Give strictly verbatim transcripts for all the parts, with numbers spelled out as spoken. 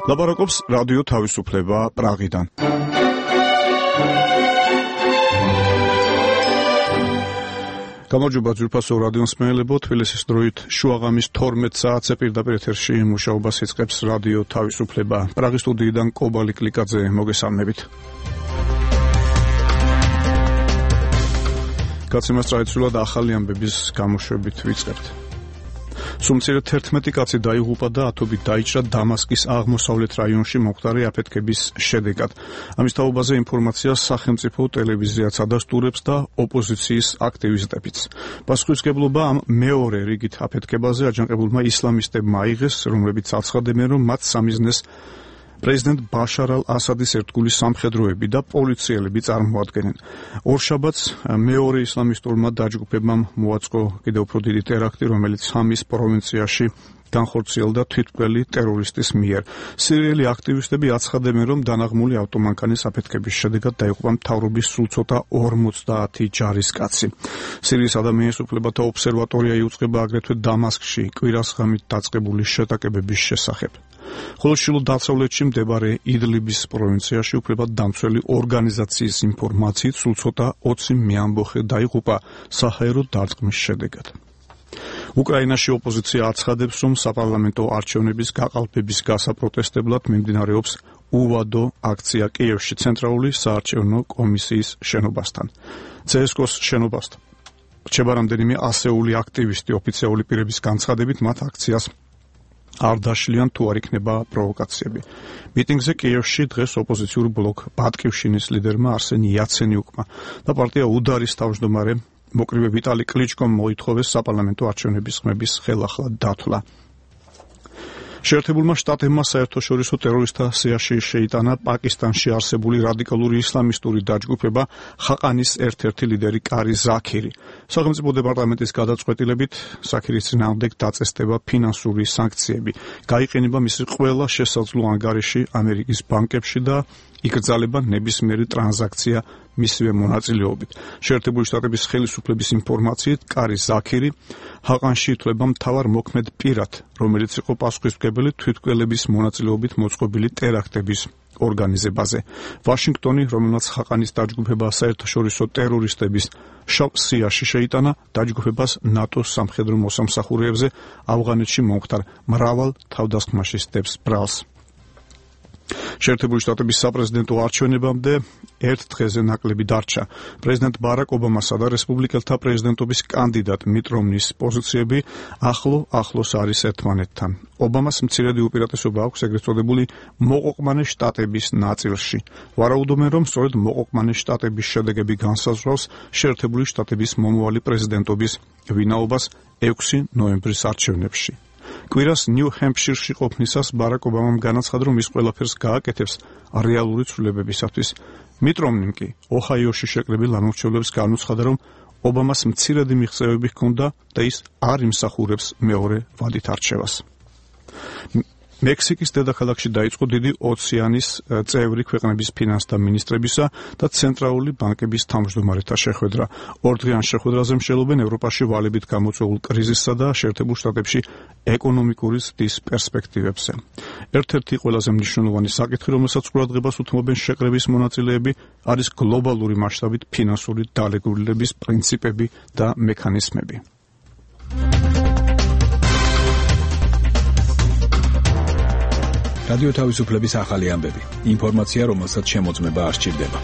ლაპარაკობს რადიო თავისუფლება პრაღიდან. გამარჯობა ძვირფასო რადიო მსმენელებო, თბილისის დროით შუაღამის თორმეტ საათზე პირდაპირ ეთერში მუშაობას იწყებს რადიო თავისუფლება. პრაღის სტუდიიდან კობალი კლიკაძე მოგესალმებით. კაცემას ტრადიციულად ახალი ამბების გამოშვებით ვიწყებთ. სულ თერთმეტი კაცი დაიღუპა და ათობით დაიჭრა დამასკის აღმოსავლეთ რაიონში მომხდარი აფეთქების შედეგად. ამის თაობაზე ინფორმაციას სახელმწიფო ტელევიზიაც ადასტურებს და ოპოზიციის აქტივისტებიც. პასუხისმგებლობა ამ მეორე რიგით აფეთქებაზე აჯანყებულმა ისლამისტებმა აიღეს, რომლებიც აცხადებენ, რომ მათ სამიზნეს პრეზიდენტ ბაშარ ალ-ასადის ერთგული სამხედროები და პოლიციელები წარმოადგენენ. ორშაბათს მეორე ისლამისტურმა დაჯგუფებამ მოაწყო კიდევ უფრო დიდი ტერაქტი, რომელიც ჰამის პროვინციაში განხორციელდა თვითმკვლელი ტერორისტის მიერ. სირიელი აქტივისტები აცხადებენ, რომ დანაღმული ავტომანქანის აფეთქების შედეგად დაიღუპა მთავრობის სულ ცოტა ორმოცდაათი ჯარისკაცი. სირიის ადამიანის უფლებათა ობსერვატორია იუწყება აგრეთვე დამასკში კვირას ღამით დაწყებული შეტაკებების შესახებ. ხოლო შილო დასავლეთში მდებარე იდლიბის პროვინციაში უფლებადამცველი ორგანიზაციის ინფორმაციით სულ ცოტა ოცი მეამბოხე დაიღუპა საჰაერო დარტყმის შედეგად. უკრაინაში ოპოზიცია აცხადებს, რომ საპარლამენტო არჩევნების გაყალბების გასაპროტესტებლად მიმდინარეობს უვადო აქცია კიევში ცენტრალური საარჩევნო კომისიის შენობასთან. ცე ეს კოს შენობასთან რჩება რამდენიმე ასეული აქტივისტი. ოფიციალური პირების განცხადებით მათ აქციას არ დაშლიან თუ არ იქნება პროვოკაციები. მიტინგზე კიევში დღეს ოპოზიციურ ბლოკ ბატკივშინის ლიდერმა არსენ იაცენიუკმა და პარტია უდარის თავმჯდომარე მოკრივე ვიტალი კლიჩკომ მოითხოვეს საპარლამენტო არჩევნების ხმების ხელახლა დათვლა. შეერთებულმა შტატებმა საერთაშორისო ტერორისტთა სიაში შეიტანა პაკისტანში არსებული რადიკალური ისლამისტური დაჯგუფება ხაყანის ერთ-ერთი ლიდერი კარი ზაქირი. სახელმწიფო დეპარტამენტის გადაწყვეტილებით ზაქირის წინააღმდეგ დაწესდება ფინანსური სანქციები. გაიყენება მისი ყველა შესაძლო ანგარიში ამერიკის ბანკებში და იკრძალება ნებისმიერი ტრანზაქცია მისივე მონაწილეობით. შეერთებული შტატების ხელისუფლების ინფორმაციით კარი ზაქირი ჰაყანში ითვლება მთავარ მოქმედ პირად, რომელიც იყო პასუხისმგებელი თვითმკვლელების მონაწილეობით მოწყობილი ტერაქტების ორგანიზებაზე. ვაშინგტონი, რომელმაც ხაყანის დაჯგუფება საერთაშორისო ტერორისტების შავ სიაში შეიტანა, დაჯგუფებას ნატოს სამხედრო მოსამსახურეებზე ავღანეთში მომხდარ მრავალ თავდასხმაში სდებს ბრალს. შეერთებული შტატების საპრეზიდენტო არჩევნებამდე ერთ დღეზე ნაკლები დარჩა. პრეზიდენტ ბარაკ ობამასა და რესპუბლიკელთა პრეზიდენტობის კანდიდატ მიტ რომნის პოზიციები ახლო-ახლოს არის ერთმანეთთან. ობამას მცირედი უპირატესობა აქვს ეგრეთ წოდებული მოყოყმანე შტატების ნაწილში. ვარაუდობენ, რომ სწორედ მოყოყმანე შტატების შედეგები განსაზღვრავს შეერთებული შტატების მომავალი პრეზიდენტობის ვინაობას ექვსი ნოემბრის არჩევნებში. კვირას ნიუ-ჰემპშირში ყოფნისას ბარაკ ობამამ განაცხადა, რომ ის ყველაფერს გააკეთებს რეალური ცვლილებებისათვის. მიტ რომნიმ კი ოჰაიოში შეკრებილ ამორჩევლებს განუცხადა, რომ ობამას მცირედი მიღწევები ჰქონდა და ის არ იმსახურებს მეორე ვადით არჩევას. მექსიკის დედაქალაქში დაიწყო დიდი ოცეანის წევრი ქვეყნების ფინანსთა მინისტრებისა და ცენტრალური ბანკების თავმჯდომარეთა შეხვედრა. ორდღიან შეხვედრაზე მსჯელობენ ევროპაში ვალებით გამოწვეულ კრიზისსა და შეერთებულ შტატებში ეკონომიკური ზრდის პერსპექტივებზე. ერთ-ერთი ყველაზე მნიშვნელოვანი საკითხი, რომელსაც ყურადღებას უთმობენ შეკრების მონაწილეები, არის გლობალური მასშტაბით ფინანსური დალეგულების პრინციპები და მექანიზმები. რადიო თავისუფლების ახალი ამბები. ინფორმაცია, რომელსაც შემოწმება არ სჭირდება.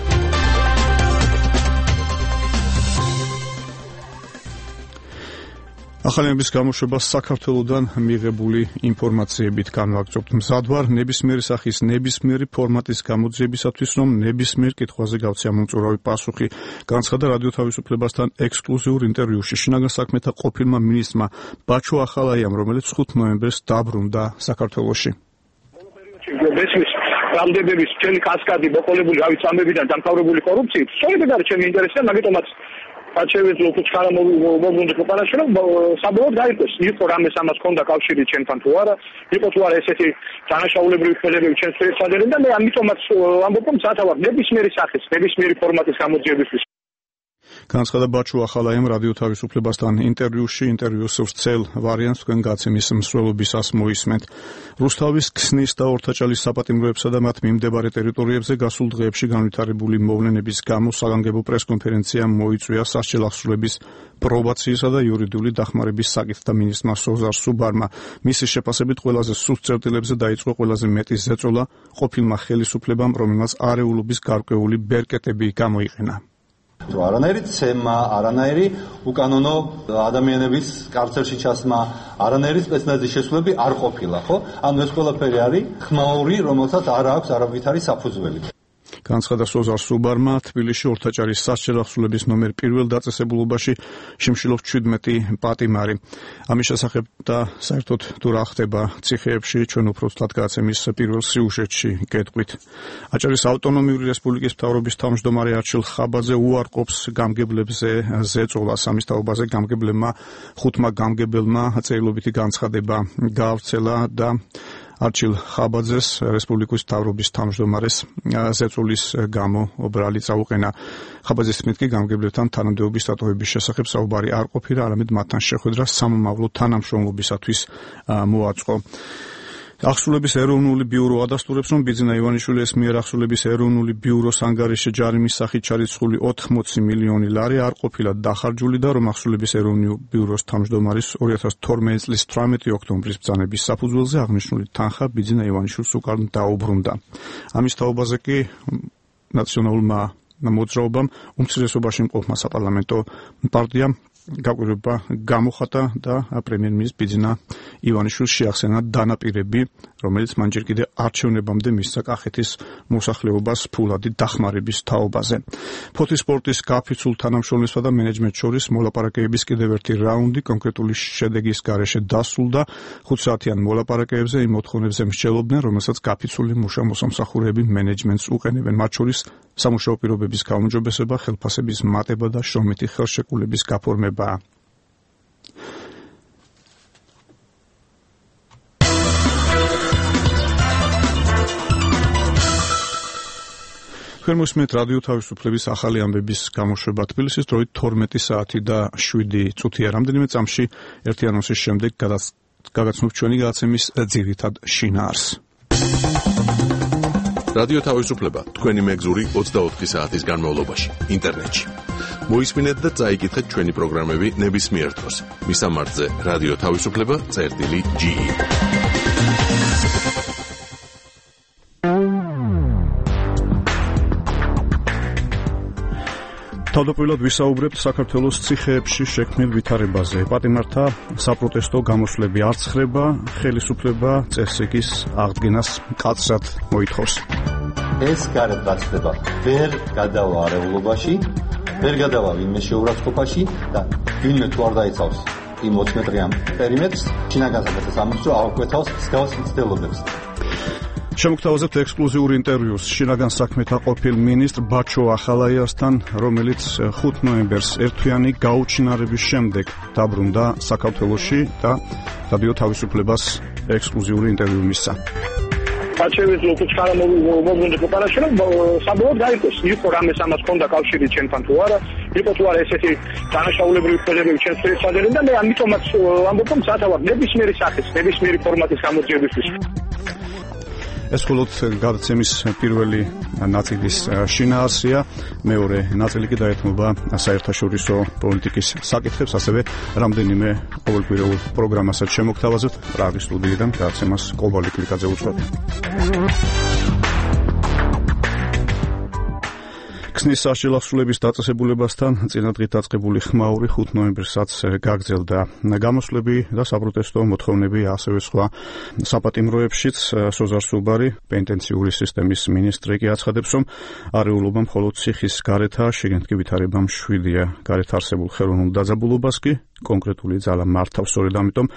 ახალი ამბების გამოშვება საქართველოდან მიღებული ინფორმაციებით განვაგრძობთ. მზად ვარ ნებისმიერი სახის ნებისმიერი ფორმატის გამოძიებისათვის, რომ ნებისმიერ კითხვაზე გავცე ამომწურავი პასუხი, განცხადა რადიო თავისუფლებასთან ექსკლუზიურ ინტერვიუში შინაგან საქმეთა ყოფილმა მინისტრმა ბაჩო ახალაიამ, რომელიც ხუთ ნოემბერს დაბრუნდა საქართველოში. მესმის რამდენების მთელი კასკადი მოყოლებული რავით ამბებიდან დამთავრებული კორუფციით, სწორედ არის ჩემი ინტერესი და მაგიტომაც აჩევეთო უცხარა მოგვუნდა ქვეყანაში, რომ საბოლოოდ გაიგოს, იყო რამეს ამას ჰქონდა კავშირი ჩემთან თუ არა, იყო თუ არა ესეთი დანაშაულებრივი ხელებები ჩემს შეეცადერენ და მე ამიტომაც ამბობ, რომ სათავარ ნებისმიერი სახის, ნებისმიერი ფორმატის გამოძიებისთვის. განცხადა ბაჩუ ახალაიამ რადიო თავისუფლებასთან ინტერვიუში, ინტერვიუს ვრცელ ვარიანტს თქვენ გაცემის მსვლელობისას მოისმენთ. რუსთავის ქსნის და ორთაჭალის საპატიმროებსა და მათ მიმდებარე ტერიტორიებზე გასულ დღეებში განვითარებული მოვლენების გამო საგანგებო პრესკონფერენცია მოიწვია სასჯელახსრულების პრობაციისა და იურიდიული დახმარების საკითხთა მინისტრმა სოზარ სუბარმა. მისი შეფასებით ყველაზე სუსტ წერტილებზე დაიწყო ყველაზე მეტი ზეწოლა ყოფილმა ხელისუფლებამ, რომელმაც არეულობის გარკვეული ბერკეტები გამოიყენა. არანაირი ცემა, არანაირი უკანონო ადამიანების კარცერში ჩასმა, არანაირი სპეცნაზის შესრულები არ ყოფილა, ხო? ანუ ეს ყველაფერი არის ხმაური, რომელსაც არ აქვს არავითარი საფუძველი. განცხადა სოზარ სუბარმა თბილისში ორთაჭალის სასჯელახსრულების ნომერ პირველ დაწესებულობაში შიმშილობს ჩვიდმეტი პატიმარი. ამის შესახებ და საერთოდ თუ რა ხდება ციხეებში ჩვენ უფრო ცუდად გაცემის პირველ სიუჟეტში გეტყვით. აჭარის ავტონომიური რესპუბლიკის მთავრობის თავმჯდომარე არჩილ ხაბაძე უარყოფს გამგებლებზე ზეწოლას. ამის თაობაზე გამგებლებმა ხუთმა გამგებელმა წერილობითი განცხადება გაავრცელა და არჩილ ხაბაძეს რესპუბლიკის მთავრობის თავმჯდომარეს ზეწოლის გამო ბრალი წაუყენა. ხაბაძის თქმით კი გამგებლებთან თანამდებობის დატოვების შესახებ საუბარი არ ყოფილა, არამედ მათთან შეხვედრა სამომავლო თანამშრომლობისათვის მოაწყო. ახსულების ეროვნული ბიურო ადასტურებს, რომ ბიძინა ივანიშვილის მიერ ახსულების ეროვნული ბიუროს ანგარიშში ჯარიმის სახით ჩარიცხული ოთხმოცი მილიონი ლარი არ ყოფილა დახარჯული და რომ ახსულების ეროვნული ბიუროს თავმჯდომარის ორი ათას თორმეტი წლის თვრამეტი ოქტომბრის ბრძანების საფუძველზე აღნიშნული თანხა ბიძინა ივანიშვილს უკან დაუბრუნდა. ამის თაობაზე კი ნაციონალურმა მოძრაობამ უმცირესობაში მყოფმა საპარლამენტო პარტიამ გაკვირვება გამოხატა და პრემიერ-მინისტრ ბიძინა ივანიშვილს შეახსენა დანაპირები, რომელიც მან ჯერ კიდევ არჩევნებამდე მისცა კახეთის მოსახლეობას ფულადი დახმარების თაობაზე. ფოთის სპორტის გაფიცულ თანამშრომლებსა და მენეჯმენტს შორის მოლაპარაკებების კიდევ ერთი რაუნდი კონკრეტული შედეგის გარეშე დასრულდა. ხუთსაათიან მოლაპარაკებებზე იმ მოთხოვნებზე მსჯელობდნენ, რომელსაც გაფიცული მუშა-მოსამსახურეები მენეჯმენტს უყენებენ, მათ შორის სამუშაო პირობების გაუმჯობესება, ხელფასების მატება და შრომითი ხელშეკრულების გაფორმება. თქვენ მოსმენთ რადიო თავისუფლების ახალი ამბების გამოშვება თბილისის დროით თორმეტი საათი და შვიდი წუთია. რამდენიმე წამში ერთი ანონსის შემდეგ გაგაცნობთ ჩვენი გადაცემის ძირითად შინაარსს. რადიო თავისუფლება თქვენი მეგზური ოცდაოთხი საათის განმავლობაში ინტერნეტში. მოისმინეთ და წაიკითხეთ ჩვენი პროგრამები ნებისმიერ დროს. მისამართზე რადიო თავისუფლება წერტილი ჯი. თავდაპირველად ვისაუბრებთ საქართველოს ციხეებში შექმნილ ვითარებაზე. პატიმართა საპროტესტო გამოსვლები არ ცხრება, ხელისუფლება წესრიგის აღდგენას მკაცრად მოითხოვს. ეს გარეთ გაცდება ვერ გადავა არეულობაში, ვერ გადავა ვინმე შეურაცხყოფაში და ვინმე თუ არ დაიცავს იმ ოცი მეტრიან პერიმეტრს, შინაგან საკითხებს ამბობს, რომ აღკვეთავს მსგავს მცდელობებს. შემოგთავაზებთ ექსკლუზიურ ინტერვიუს შინაგან საქმეთა ყოფილ მინისტრ ბაჩუ ახალაიასთან, რომელიც ხუთ ნოემბერს ერთთვიანი გაუჩინარების შემდეგ დაბრუნდა საქართველოში და რადიო თავისუფლებას ექსკლუზიური ინტერვიუ მისცა. აჩევით ლოკუჩკარა მოგონდა პროპარაში, რომ საბოლოოდ გაიგოს, იყო რამე სამას ქონდა კავშირი ჩვენთან თუ არა, იყო თუ არა ესეთი დანაშაულებრივი ფერები ჩვენს ფერსადერენ და მე ამიტომაც ამბობ, რომ სათავად ნებისმიერი სახის, ნებისმიერი ფორმატის გამოძიებისთვის. ეს მხოლოდ გადაცემის პირველი ნაწილის შინაარსია, მეორე ნაწილი კი დაეთმობა საერთაშორისო პოლიტიკის საკითხებს, ასევე რამდენიმე ყოველკვირეულ პროგრამასაც შემოგთავაზებთ პრაღის სტუდიიდან გადაცემას კობალი კლიკაძე უძღვები. ქსნის სასჯელახსრულების დაწესებულებასთან წინადღით დაწყებული ხმაური ხუთ ნოემბერსაც გაგრძელდა. გამოსვლები და საპროტესტო მოთხოვნები ასევე სხვა საპატიმროებშიც სოზარ სუბარი, პენტენციური სისტემის მინისტრი კი აცხადებს, რომ არეულობა მხოლოდ ციხის გარეთაა, შიგნით კი ვითარება მშვიდია. გარეთ არსებულ ხელოვნურ დაძაბულობას კი კონკრეტული ძალა მართავს. სწორედ ამიტომ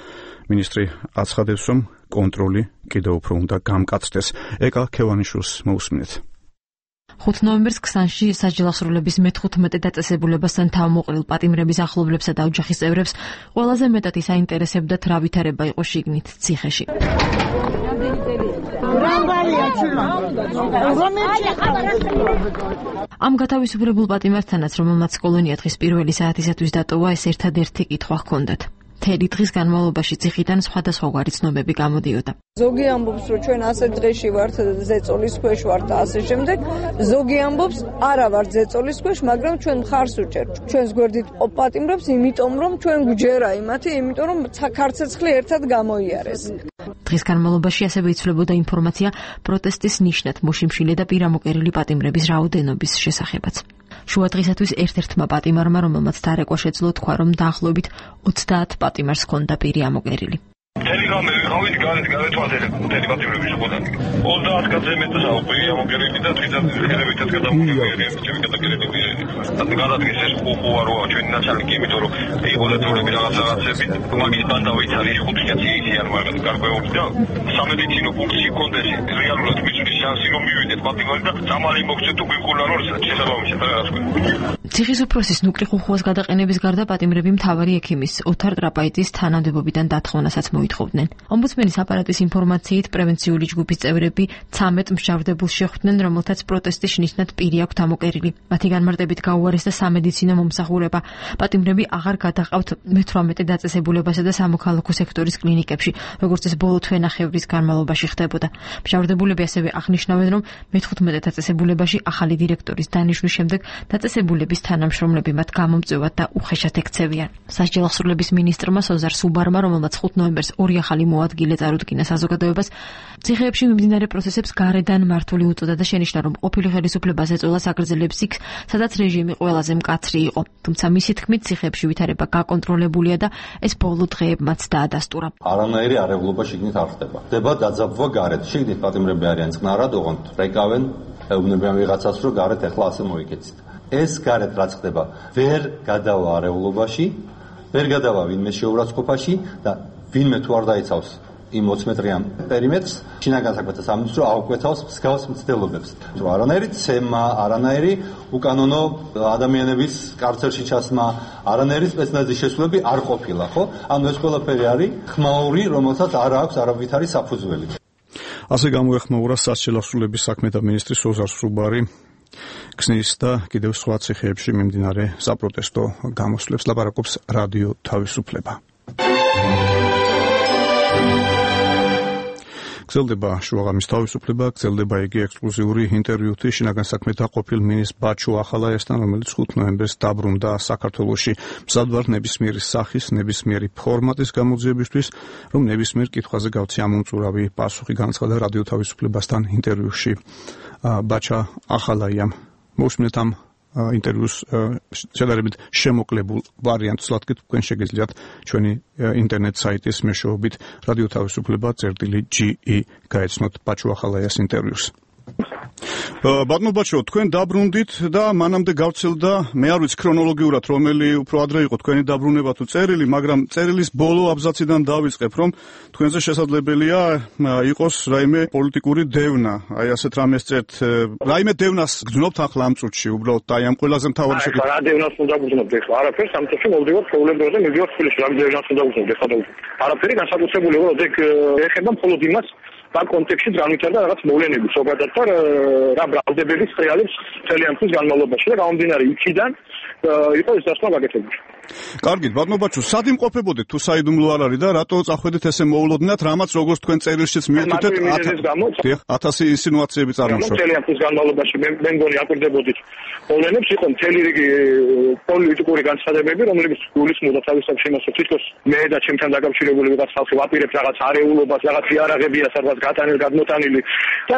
მინისტრი აცხადებს, რომ კონტროლი კიდევ უფრო უნდა გამკაცდეს. ეკა ქევანიშვილს მოусმინეთ. ხუთ ნოემბერს ქსანში სასჯელახსრულების მეთერთმეტე დაწესებულებასთან თავმოყრილ პატიმრების ახლობლებსა და ოჯახის წევრებს ყველაზე მეტად ისაინტერესებდათ რა ვითარება იყო შიგნით ციხეში. ამ გათავისუფლებულ პატიმართანაც, რომელმაც კოლონია დღის პირველი საათისათვის დატოვა, ეს ერთადერთი კითხვა ჰქონდათ. მთელი დღის განმავლობაში ციხიდან სხვადასხვაგვარი ცნობები გამოდიოდა. ზოგი ამბობს, რომ ჩვენ ასე დღეში ვართ, ზეწოლის ქვეშ ვართ და ასე შემდეგ. ზოგი ამბობს, არა ვართ ზეწოლის ქვეშ, მაგრამ ჩვენ მხარს უჭერთ. ჩვენს გვერდით პატიმრებს, იმიტომ რომ ჩვენ გვჯერა იმათი, იმიტომ რომ ქარცეცხლი ერთად გამოიარეს. დღის განმავლობაში ასევე იცვლებოდა ინფორმაცია პროტესტის ნიშნად მოშიმშილე და პირამოკერილი პატიმრების რაოდენობის შესახებაც. შუა დღისათვის ერთ-ერთმა პატიმარმა, რომელმაც დარეკვა შეძლო, თქვა, რომ დაახლოებით ოცდაათ პატიმარს ჰქონდა პირი ამოკერილი. მთელი გამე ვიყავით გარეთ გარეთ ვადერებ მთელი პატიმრების შეყოდან. ოცდაათ კაცზე მეტი საუბრია ამოკერილი და თვითონ ხელებითაც გადამოგვიერთებია ჩემი გადაგერილი პირები. ანუ გადადგეს ეს უყუა როა ჩვენი ნაცალიკი, იმიტომ რომ იყო დაწოლები რაღაც რაღაცები, მაგის ბანდა ვიცარი ხუთი კაცი ისიან მაგრამ გარკვეული და სამედიცინო ფუნქცია კონდეს რეალურად მიწვრის შანსი რომ მივიდეთ პატიმარი და სამალი მოგცეთ თუ გვიყურა რომ შესაბამისად რაღაც თქვი. ციხის უფროსის ნუკლი ხუხუას გადაყენების გარდა პატიმრები მთავარი ექიმის ოთარ ტრაპაიძის თანამდებობიდან დათხოვნასაც მოითხოვდნენ. ომბუდსმენის აპარატის ინფორმაციით პრევენციული ჯგუფის წევრები ცამეტ მსჯავრდებულს შეხვდნენ, რომელთაც პროტესტის ნიშნად პირი აქვთ ამოკერილი. მათი განმარტებით გაუარესდა სამედიცინო მომსახურება. პატიმრები აღარ გადაყავთ მეთვრამეტე დაწესებულებასა და სამოქალაქო სექტორის კლინიკებში, როგორც ეს ბოლო თვენახევრის განმავლობაში ხდებოდა. მსჯავრდებულები ასევე აღნიშნავენ, რომ მეთხუთმეტე დაწესებულებაში ახალი დირექტორის დანიშვნის შემდეგ დაწესებულების თანამშრომლები მათ გამომწვევად და უხეშად ექცევიან. სასჯელ აღსრულების მინისტრმა სოზარ სუბარმა, რომელმაც ხუთი ნოემბერს ორი ახალი მოადგილე წარუდგინა საზოგადოებას, ციხეებში მიმდინარე პროცესებს გარედან მართული უწოდა და შენიშნა, რომ ყოფილი ხელისუფლებას ეწოლა აგრძელებს იქ, სადაც რეჟიმი ყველაზე მკაცრი იყო. თუმცა მისი თქმით, ციხეებში ვითარება გაკონტროლებულია და ეს ბოლო დღეებმაც დაადასტურა. არანაირი არეულობა შიგნით არ ხდება. ხდება დაძაბვა გარეთ. შიგნით პატიმრები არიან წყნარად, ოღონდ რეკავენ, ეუბნებიან ვიღაცას, რომ გარეთ ახლა ასე მოიქეცით. ეს გარეთ რაც ხდება, ვერ გადავა არეულობაში, ვერ გადავა ვინმე შეურაცხყოფაში და ვინმე თუ არ დაიცავს იმ ოცი მეტრიან პერიმეტრს, შინაგან საქმეთა სამინისტრო აუკვეთავს მსგავს მცდელობებს. რომ არანაირი ცემა, არანაირი უკანონო ადამიანების კარცერში ჩასმა, არანაირი სპეცნაზის შესრულები არ ყოფილა, ხო? ანუ ეს ყველაფერი არის ხმაური, რომელსაც არ აქვს არავითარი საფუძველი. ასე გამოეხმაურა სასჯელ აღსრულების საქმეთა მინისტრი სოზარ სუბარი ქსნის და კიდევ სხვა ციხეებში მიმდინარე საპროტესტო გამოსვლებს ლაპარაკობს რადიო თავისუფლება. გრძელდება შუაღამის თავისუფლება, გრძელდება იგი ექსკლუზიური ინტერვიუთი შინაგან საქმეთა ყოფილ მინისტრ ბაჩო ახალაიასთან, რომელიც ხუთი ნოემბერს დაბრუნდა საქართველოში. მზად ვარ ნებისმიერი სახის, ნებისმიერი ფორმატის გამოძიებისთვის, რომ ნებისმიერ კითხვაზე გავცი ამომწურავი პასუხი, განაცხადა რადიო თავისუფლებასთან ინტერვიუში ბაჩა ახალაიამ. მოусმინეთ ამ ინტერვიუს შედარებით შემოკლებულ ვარიანტს, ლათქით თქვენ შეგიძლიათ ჩვენი ინტერნეტ საიტის მეშვეობით რადიო თავისუფლება წერტილი ჯი ი გაეცნოთ ბაჩო ახალაიას ინტერვიუს. ბატონო ბაჩო, თქვენ დაბრუნდით და მანამდე გავცელდა, მე არ ვიცი ქრონოლოგიურად რომელი უფრო ადრე იყო თქვენი დაბრუნება თუ წერილი, მაგრამ წერილის ბოლო აბზაციდან დავიწყებ, რომ თქვენზე შესაძლებელია იყოს რაიმე პოლიტიკური დევნა. აი ასეთ რამეს წერთ, რაიმე დევნას გძნობთ ახლა ამ წუთში, უბრალოდ აი ამ ყველაზე მთავარი შეკითხვა. რა დევნას უნდა გძნობთ ახლა? არაფერს, ამ წუთში მოვდივართ პრობლემებზე, მივიდივართ თბილისში, რა დევნას უნდა გძნობთ ახლა? არაფერი განსაკუთრებული იყო, ეგ ეხება მხოლოდ იმას, ამ კონტექსტში განვითარდა რაღაც მოვლენები, ზოგადად რა ბრალდებების რეალებს მთელი ამ წლის განმავლობაში და გამომდინარე იქიდან იყო ეს დასკვნა გაკეთებული. კარგით, ბატონო ბაჩო, სად იმყოფებოდეთ თუ საიდუმლო არ არის და რატო წახვედით ესე მოულოდნელად, რამაც როგორც თქვენ წერილშიც მიეთითეთ ათასი ინსინუაციები წარმოშვა. მთელი ამ წლის განმავლობაში მე მგონი აკვირდებოდით მოვლენებს, იყო მთელი რიგი პოლიტიკური განცხადებები, რომლებიც გულისხმობდა თავისთავად იმას, რომ თითქოს მე და ჩემთან დაკავშირებული ვიღაც ხალხი ვაპირებთ რაღაც არეულობას, რაღაც იარაღებია სადღაც გატანილი, გადმოტანილი და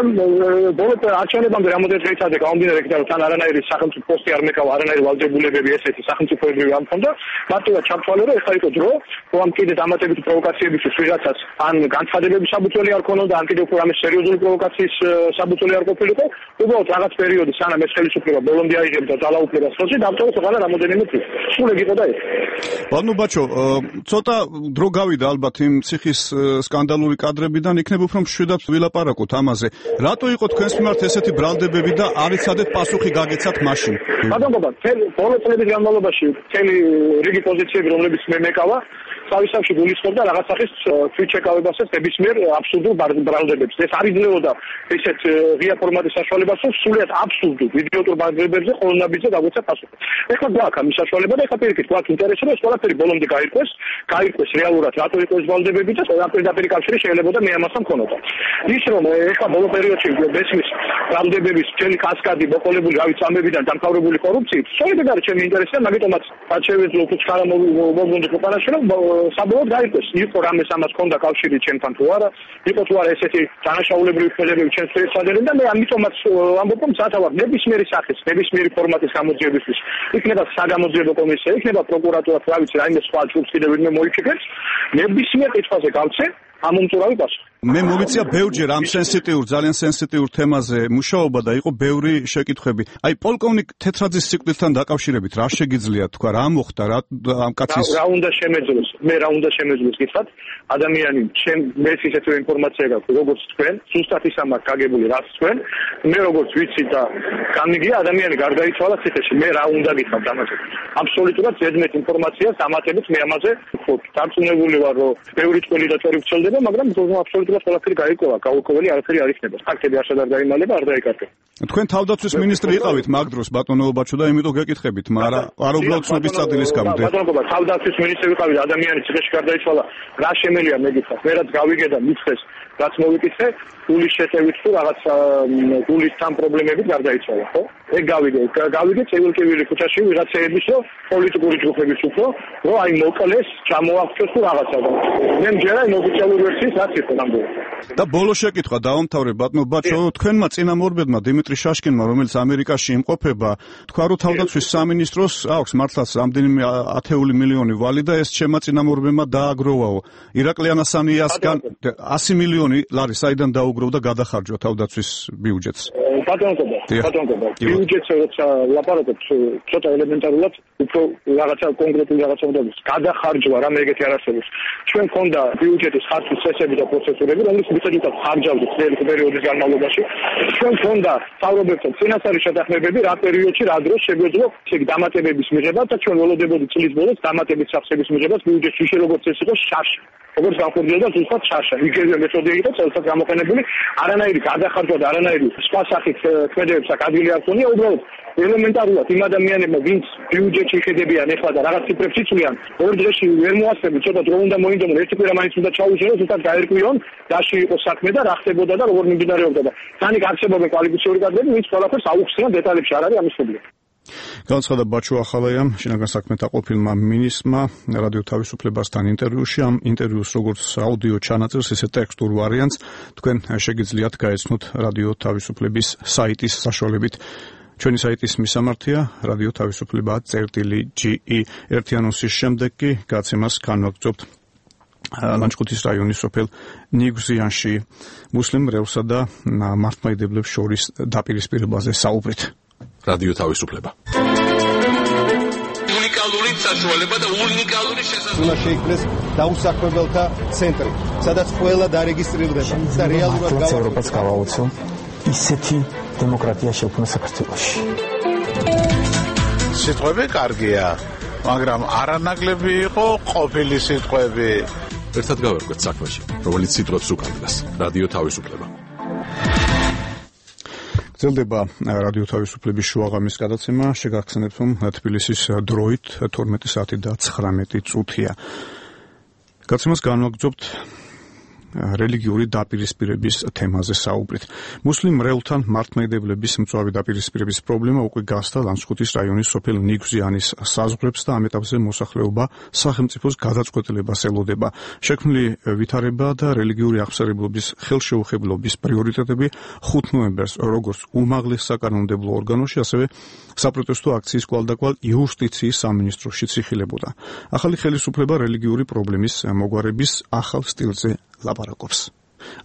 ბოლო არჩევნებამდე რამოდენიმე დღე იცავდა გამომდინარე იქიდან, თან არანაირი სახელმწიფო პოსტი არ მეკავა, არანაირი ვალდებულებები ესეთი სახელმწიფოებრივი არ მქონდა. მარტივად ჩამთვალე, რომ ეხლა იყო დრო, რომ კიდე დამატებითი პროვოკაციებისთვის ვიღაცას ან განცხადებების საბუთველი არ ქონოდა, ან კიდე უფრო ამის სერიოზული პროვოკაციის საბუთველი არ ყოფილიყო. უბრალოდ რაღაც პერიოდი, სანამ ეს ხელისუფლება ბოლომდე აიღებდა ძალაუფლებას ხელში, დამტოვეს ყველა რამოდენიმე წუთი. სულ ეგ იყო და ეს. ბატონო ბაჩო, ცოტა დრო გავიდა ალბათ იმ ციხის სკანდალური კადრებიდან, იქნებ უფრო მშვიდად ვილაპარაკოთ ამაზე. რატო იყო თქვენს მიმართ ესეთი ბრალდებები და არ იცადეთ პასუხი გაგეცათ მაშინ? ბატონო, ბოლო წლების განმავლობაში მთელი რიგი პოზიციები, რომლებიც მე მეკავა, თავისთავად გულისხმობდა რაღაც სახის თვითშეკავებასაც ნებისმიერ აბსურდულ ბრალდებებს. ეს არ იძლეოდა ესეთ ღია ფორმატის საშუალებას, რომ სულიად აბსურდულ იდიოტურ ბრალდებებზე ყოლნაბიძე დაგვეცა პასუხი. ეხლა გვაქვს ამის საშუალება და ეხლა პირიქით გვაქვს ინტერესი, რომ ეს ყველაფერი ბოლომდე გაირკვეს, გაირკვეს რეალურად რატო იყო ეს ბრალდებები და პირდაპირ კავშირი შეიძლება მე ამასთან მქონოდა. ის რომ ეხლა ბოლო პერიოდში მესმის ბრალდებების მთელი კასკადი მოყოლებული რავით ამბებიდან დამთავრებული კორუფციით, სწორედ არის ჩემი ინტერესი და მაგიტომაც რაც შევეძლო უცხარა მოგვონდა ქვეყანაში რომ საბოლოოდ გაირკვეს იყო რამეს ამას ჰქონდა კავშირი ჩემთან თუ არა იყო თუ არა ესეთი დანაშაულებრივი ქმედებები ჩემს შეეცადნენ და მე ამიტომაც ამბობ რომ სათავარ ნებისმიერი სახის ნებისმიერი ფორმატის გამოძიებისთვის იქნება საგამოძიებო კომისია იქნება პროკურატურა რა ვიცი რაიმე სხვა ჯგუფს კიდევ ვინმე მოიფიქრებს ნებისმიერ კითხვაზე გავცე ამომწურავი პასუხი. მე მოვიწია ბევრჯერ ამ სენსიტიურ, ძალიან სენსიტიურ თემაზე მუშაობა და იყო ბევრი შეკითხვები. აი პოლკოვნიკ თეთრაძის სიკვდილთან დაკავშირებით რა შეგიძლია თქვა, რა მოხდა რა ამ კაცის რა უნდა შემეძლოს? მე რა უნდა შემეძლოს გითხრათ? ადამიანი ჩემ მეც ისეთივე ინფორმაცია გაქვს, როგორც თქვენ, ზუსტად ის ამას გაგებული რაც თქვენ. მე როგორც ვიცი და გამიგია ადამიანი გარდაიცვალა ციხეში. მე რა უნდა გითხრათ ამაზე? აბსოლუტურად ზედმეტ ინფორმაციას ამატებით მე ამაზე ვთქვი. დარწმუნებული ვარ, რომ ბევრი წვლილი და წვერი ვცელდება, მაგრამ აბსოლუტურად ყველაფერი გაირკვევა, გაურკვეველი არაფერი არ იქნება. ფაქტები არც არ დაიმალება, არ დაიკარგება. თქვენ თავდაცვის მინისტრი იყავით მაგ დროს ბატონო ბაჩო და იმიტომ გეკითხებით, მაგრამ არ უბრალოდ ცნობის წადილის გამო. ბატონო თავდაცვის მინისტრი ვიყავი, ადამიანი ციხეში გარდაიცვალა, რა შემელია მე გითხრათ. მე რაც გავიგე და მითხეს, რაც მოვიკითხე, გულის შეტევით თუ რაღაც გულის თან პრობლემებით გარდაიცვალა, ხო? ეგ გავიგე, გავიგე წევილკივილი ქუჩაში ვიღაცეების რომ პოლიტიკური ჯგუფების უფრო, რომ აი მოკლეს, ჩამოაღწიოს თუ რაღაცა. მე მჯერა იმ ოფიციალური ვერსიის რაც იყო ნამდვილად. და ბოლო შეკითხვა დავამთავრე ბატონო ბაჩო, თქვენმა წინამორბედმა დიმიტრი შაშკინმა, რომელიც ამერიკაში იმყოფება, თქვა რომ თავდაცვის სამინისტროს აქვს მართლაც რამდენიმე ათეული მილიონი ვალი და ეს ჩემმა წინამორბედმა დააგროვაო. ირაკლი ანასანიასგან ასი მილიონი ლარი საიდან დაუგროვ და გადახარჯვა თავდაცვის ბიუჯეტს. ბატონო ბატონო ბიუჯეტს როცა ლაპარაკობ ცოტა ელემენტარულად უფრო რაღაცა კონკრეტული რაღაცა უნდა გის გადახარჯვა რამე ეგეთი არ არსებობს. ჩვენ ქონდა ბიუჯეტის ხარჯვის წესები და პროცედურები, რომლის მიხედვითაც ხარჯავდით წელი პერიოდის განმავლობაში. ჩვენ ქონდა სწავლობებთან წინასწარი შეთანხმებები რა პერიოდში რა დროს შეგვეძლო ეგ დამატებების მიღება და ჩვენ ველოდებოდით წლის ბოლოს დამატების სახსების მიღებას ბიუჯეტში ისე როგორც ეს იყო შარშა. როგორც განხორციელდა ზუსტად შარშა. იგივე მეთოდები იყო წელსაც გამოყენებული, არანაირი გადახარჯვა და არანაირი სხვა სახის ქმედებებს აქ ადგილი არ ქონია, უბრალოდ ელემენტარულად იმ ადამიანებმა, ვინც ბიუჯეტში იხედებიან ეხლა და რაღაც ციფრებს იცვლიან, ორ დღეში ვერ მოასწრებენ, ცოტა დრო უნდა მოინდომონ, ერთი კვირა მაინც უნდა ჩაუჟეროს, ზუსტად გაერკვიონ, რაში იყო საქმე და რა ხდებოდა და როგორ მიმდინარეობდა და თანიქ არსებობენ კვალიფიციური კადრები, ვინც ყველაფერს აუხსნიან დეტალებში არ არის ამის პრობლემა. განცხადა ბაჩო ახალაიამ, შინაგან საქმეთა ყოფილმა მინისტრმა რადიო თავისუფლებასთან ინტერვიუში, ამ ინტერვიუს როგორც აუდიო ჩანაწერს, ისე ტექსტურ ვარიანტს თქვენ შეგიძლიათ გაეცნოთ რადიო თავისუფლების საიტის საშუალებით. ჩვენი საიტის მისამართია რადიო თავისუფლება წერტილი ჯი ი. ერთი ანონსის შემდეგ კი გაცემას განვაგრძობთ ლანჩხუთის რაიონის სოფელ ნიგზიანში მუსლიმ მრევლსა და მართლმადიდებლებს შორის დაპირისპირებაზე საუბრით. რადიო თავისუფლება. უნიკალური საშუალება და უნიკალური შესაძლებლობა. უნდა შეიქმნეს დაუსაქმებელთა ცენტრი, სადაც ყველა დარეგისტრირდება და რეალურად ევროპას გავაოცო ისეთი დემოკრატია შექმნა საქართველოში. სიტყვები კარგია, მაგრამ არანაკლები იყო ყოფილი სიტყვები. ერთად გავერკვეთ საქმეში, რომელიც სიტყვებს უკანდას. რადიო თავისუფლება. გრძელდება რადიო თავისუფლების შუაღამის გადაცემა, შეგახსენებთ, რომ თბილისის დროით თორმეტი საათი და ცხრამეტი წუთია. გადაცემას განვაგრძობთ რელიგიური დაპირისპირების თემაზე საუბრით. მუსლიმ მრევლთან მართლმადიდებლების მწვავე დაპირისპირების პრობლემა უკვე გასდა ლანჩხუთის რაიონის სოფელ ნიგზიანის საზღვრებს და ამ ეტაპზე მოსახლეობა სახელმწიფოს გადაწყვეტილებას ელოდება. შექმნილი ვითარება და რელიგიური აღსარებლობის ხელშეუხებლობის პრიორიტეტები ხუთ ნოემბერს როგორც უმაღლეს საკანონმდებლო ორგანოში, ასევე საპროტესტო აქციის კვალდაკვალ იუსტიციის სამინისტროშიც იხილებოდა. ახალი ხელისუფლება რელიგიური პრობლემის მოგვარების ახალ სტილზე ლაპარაკობს.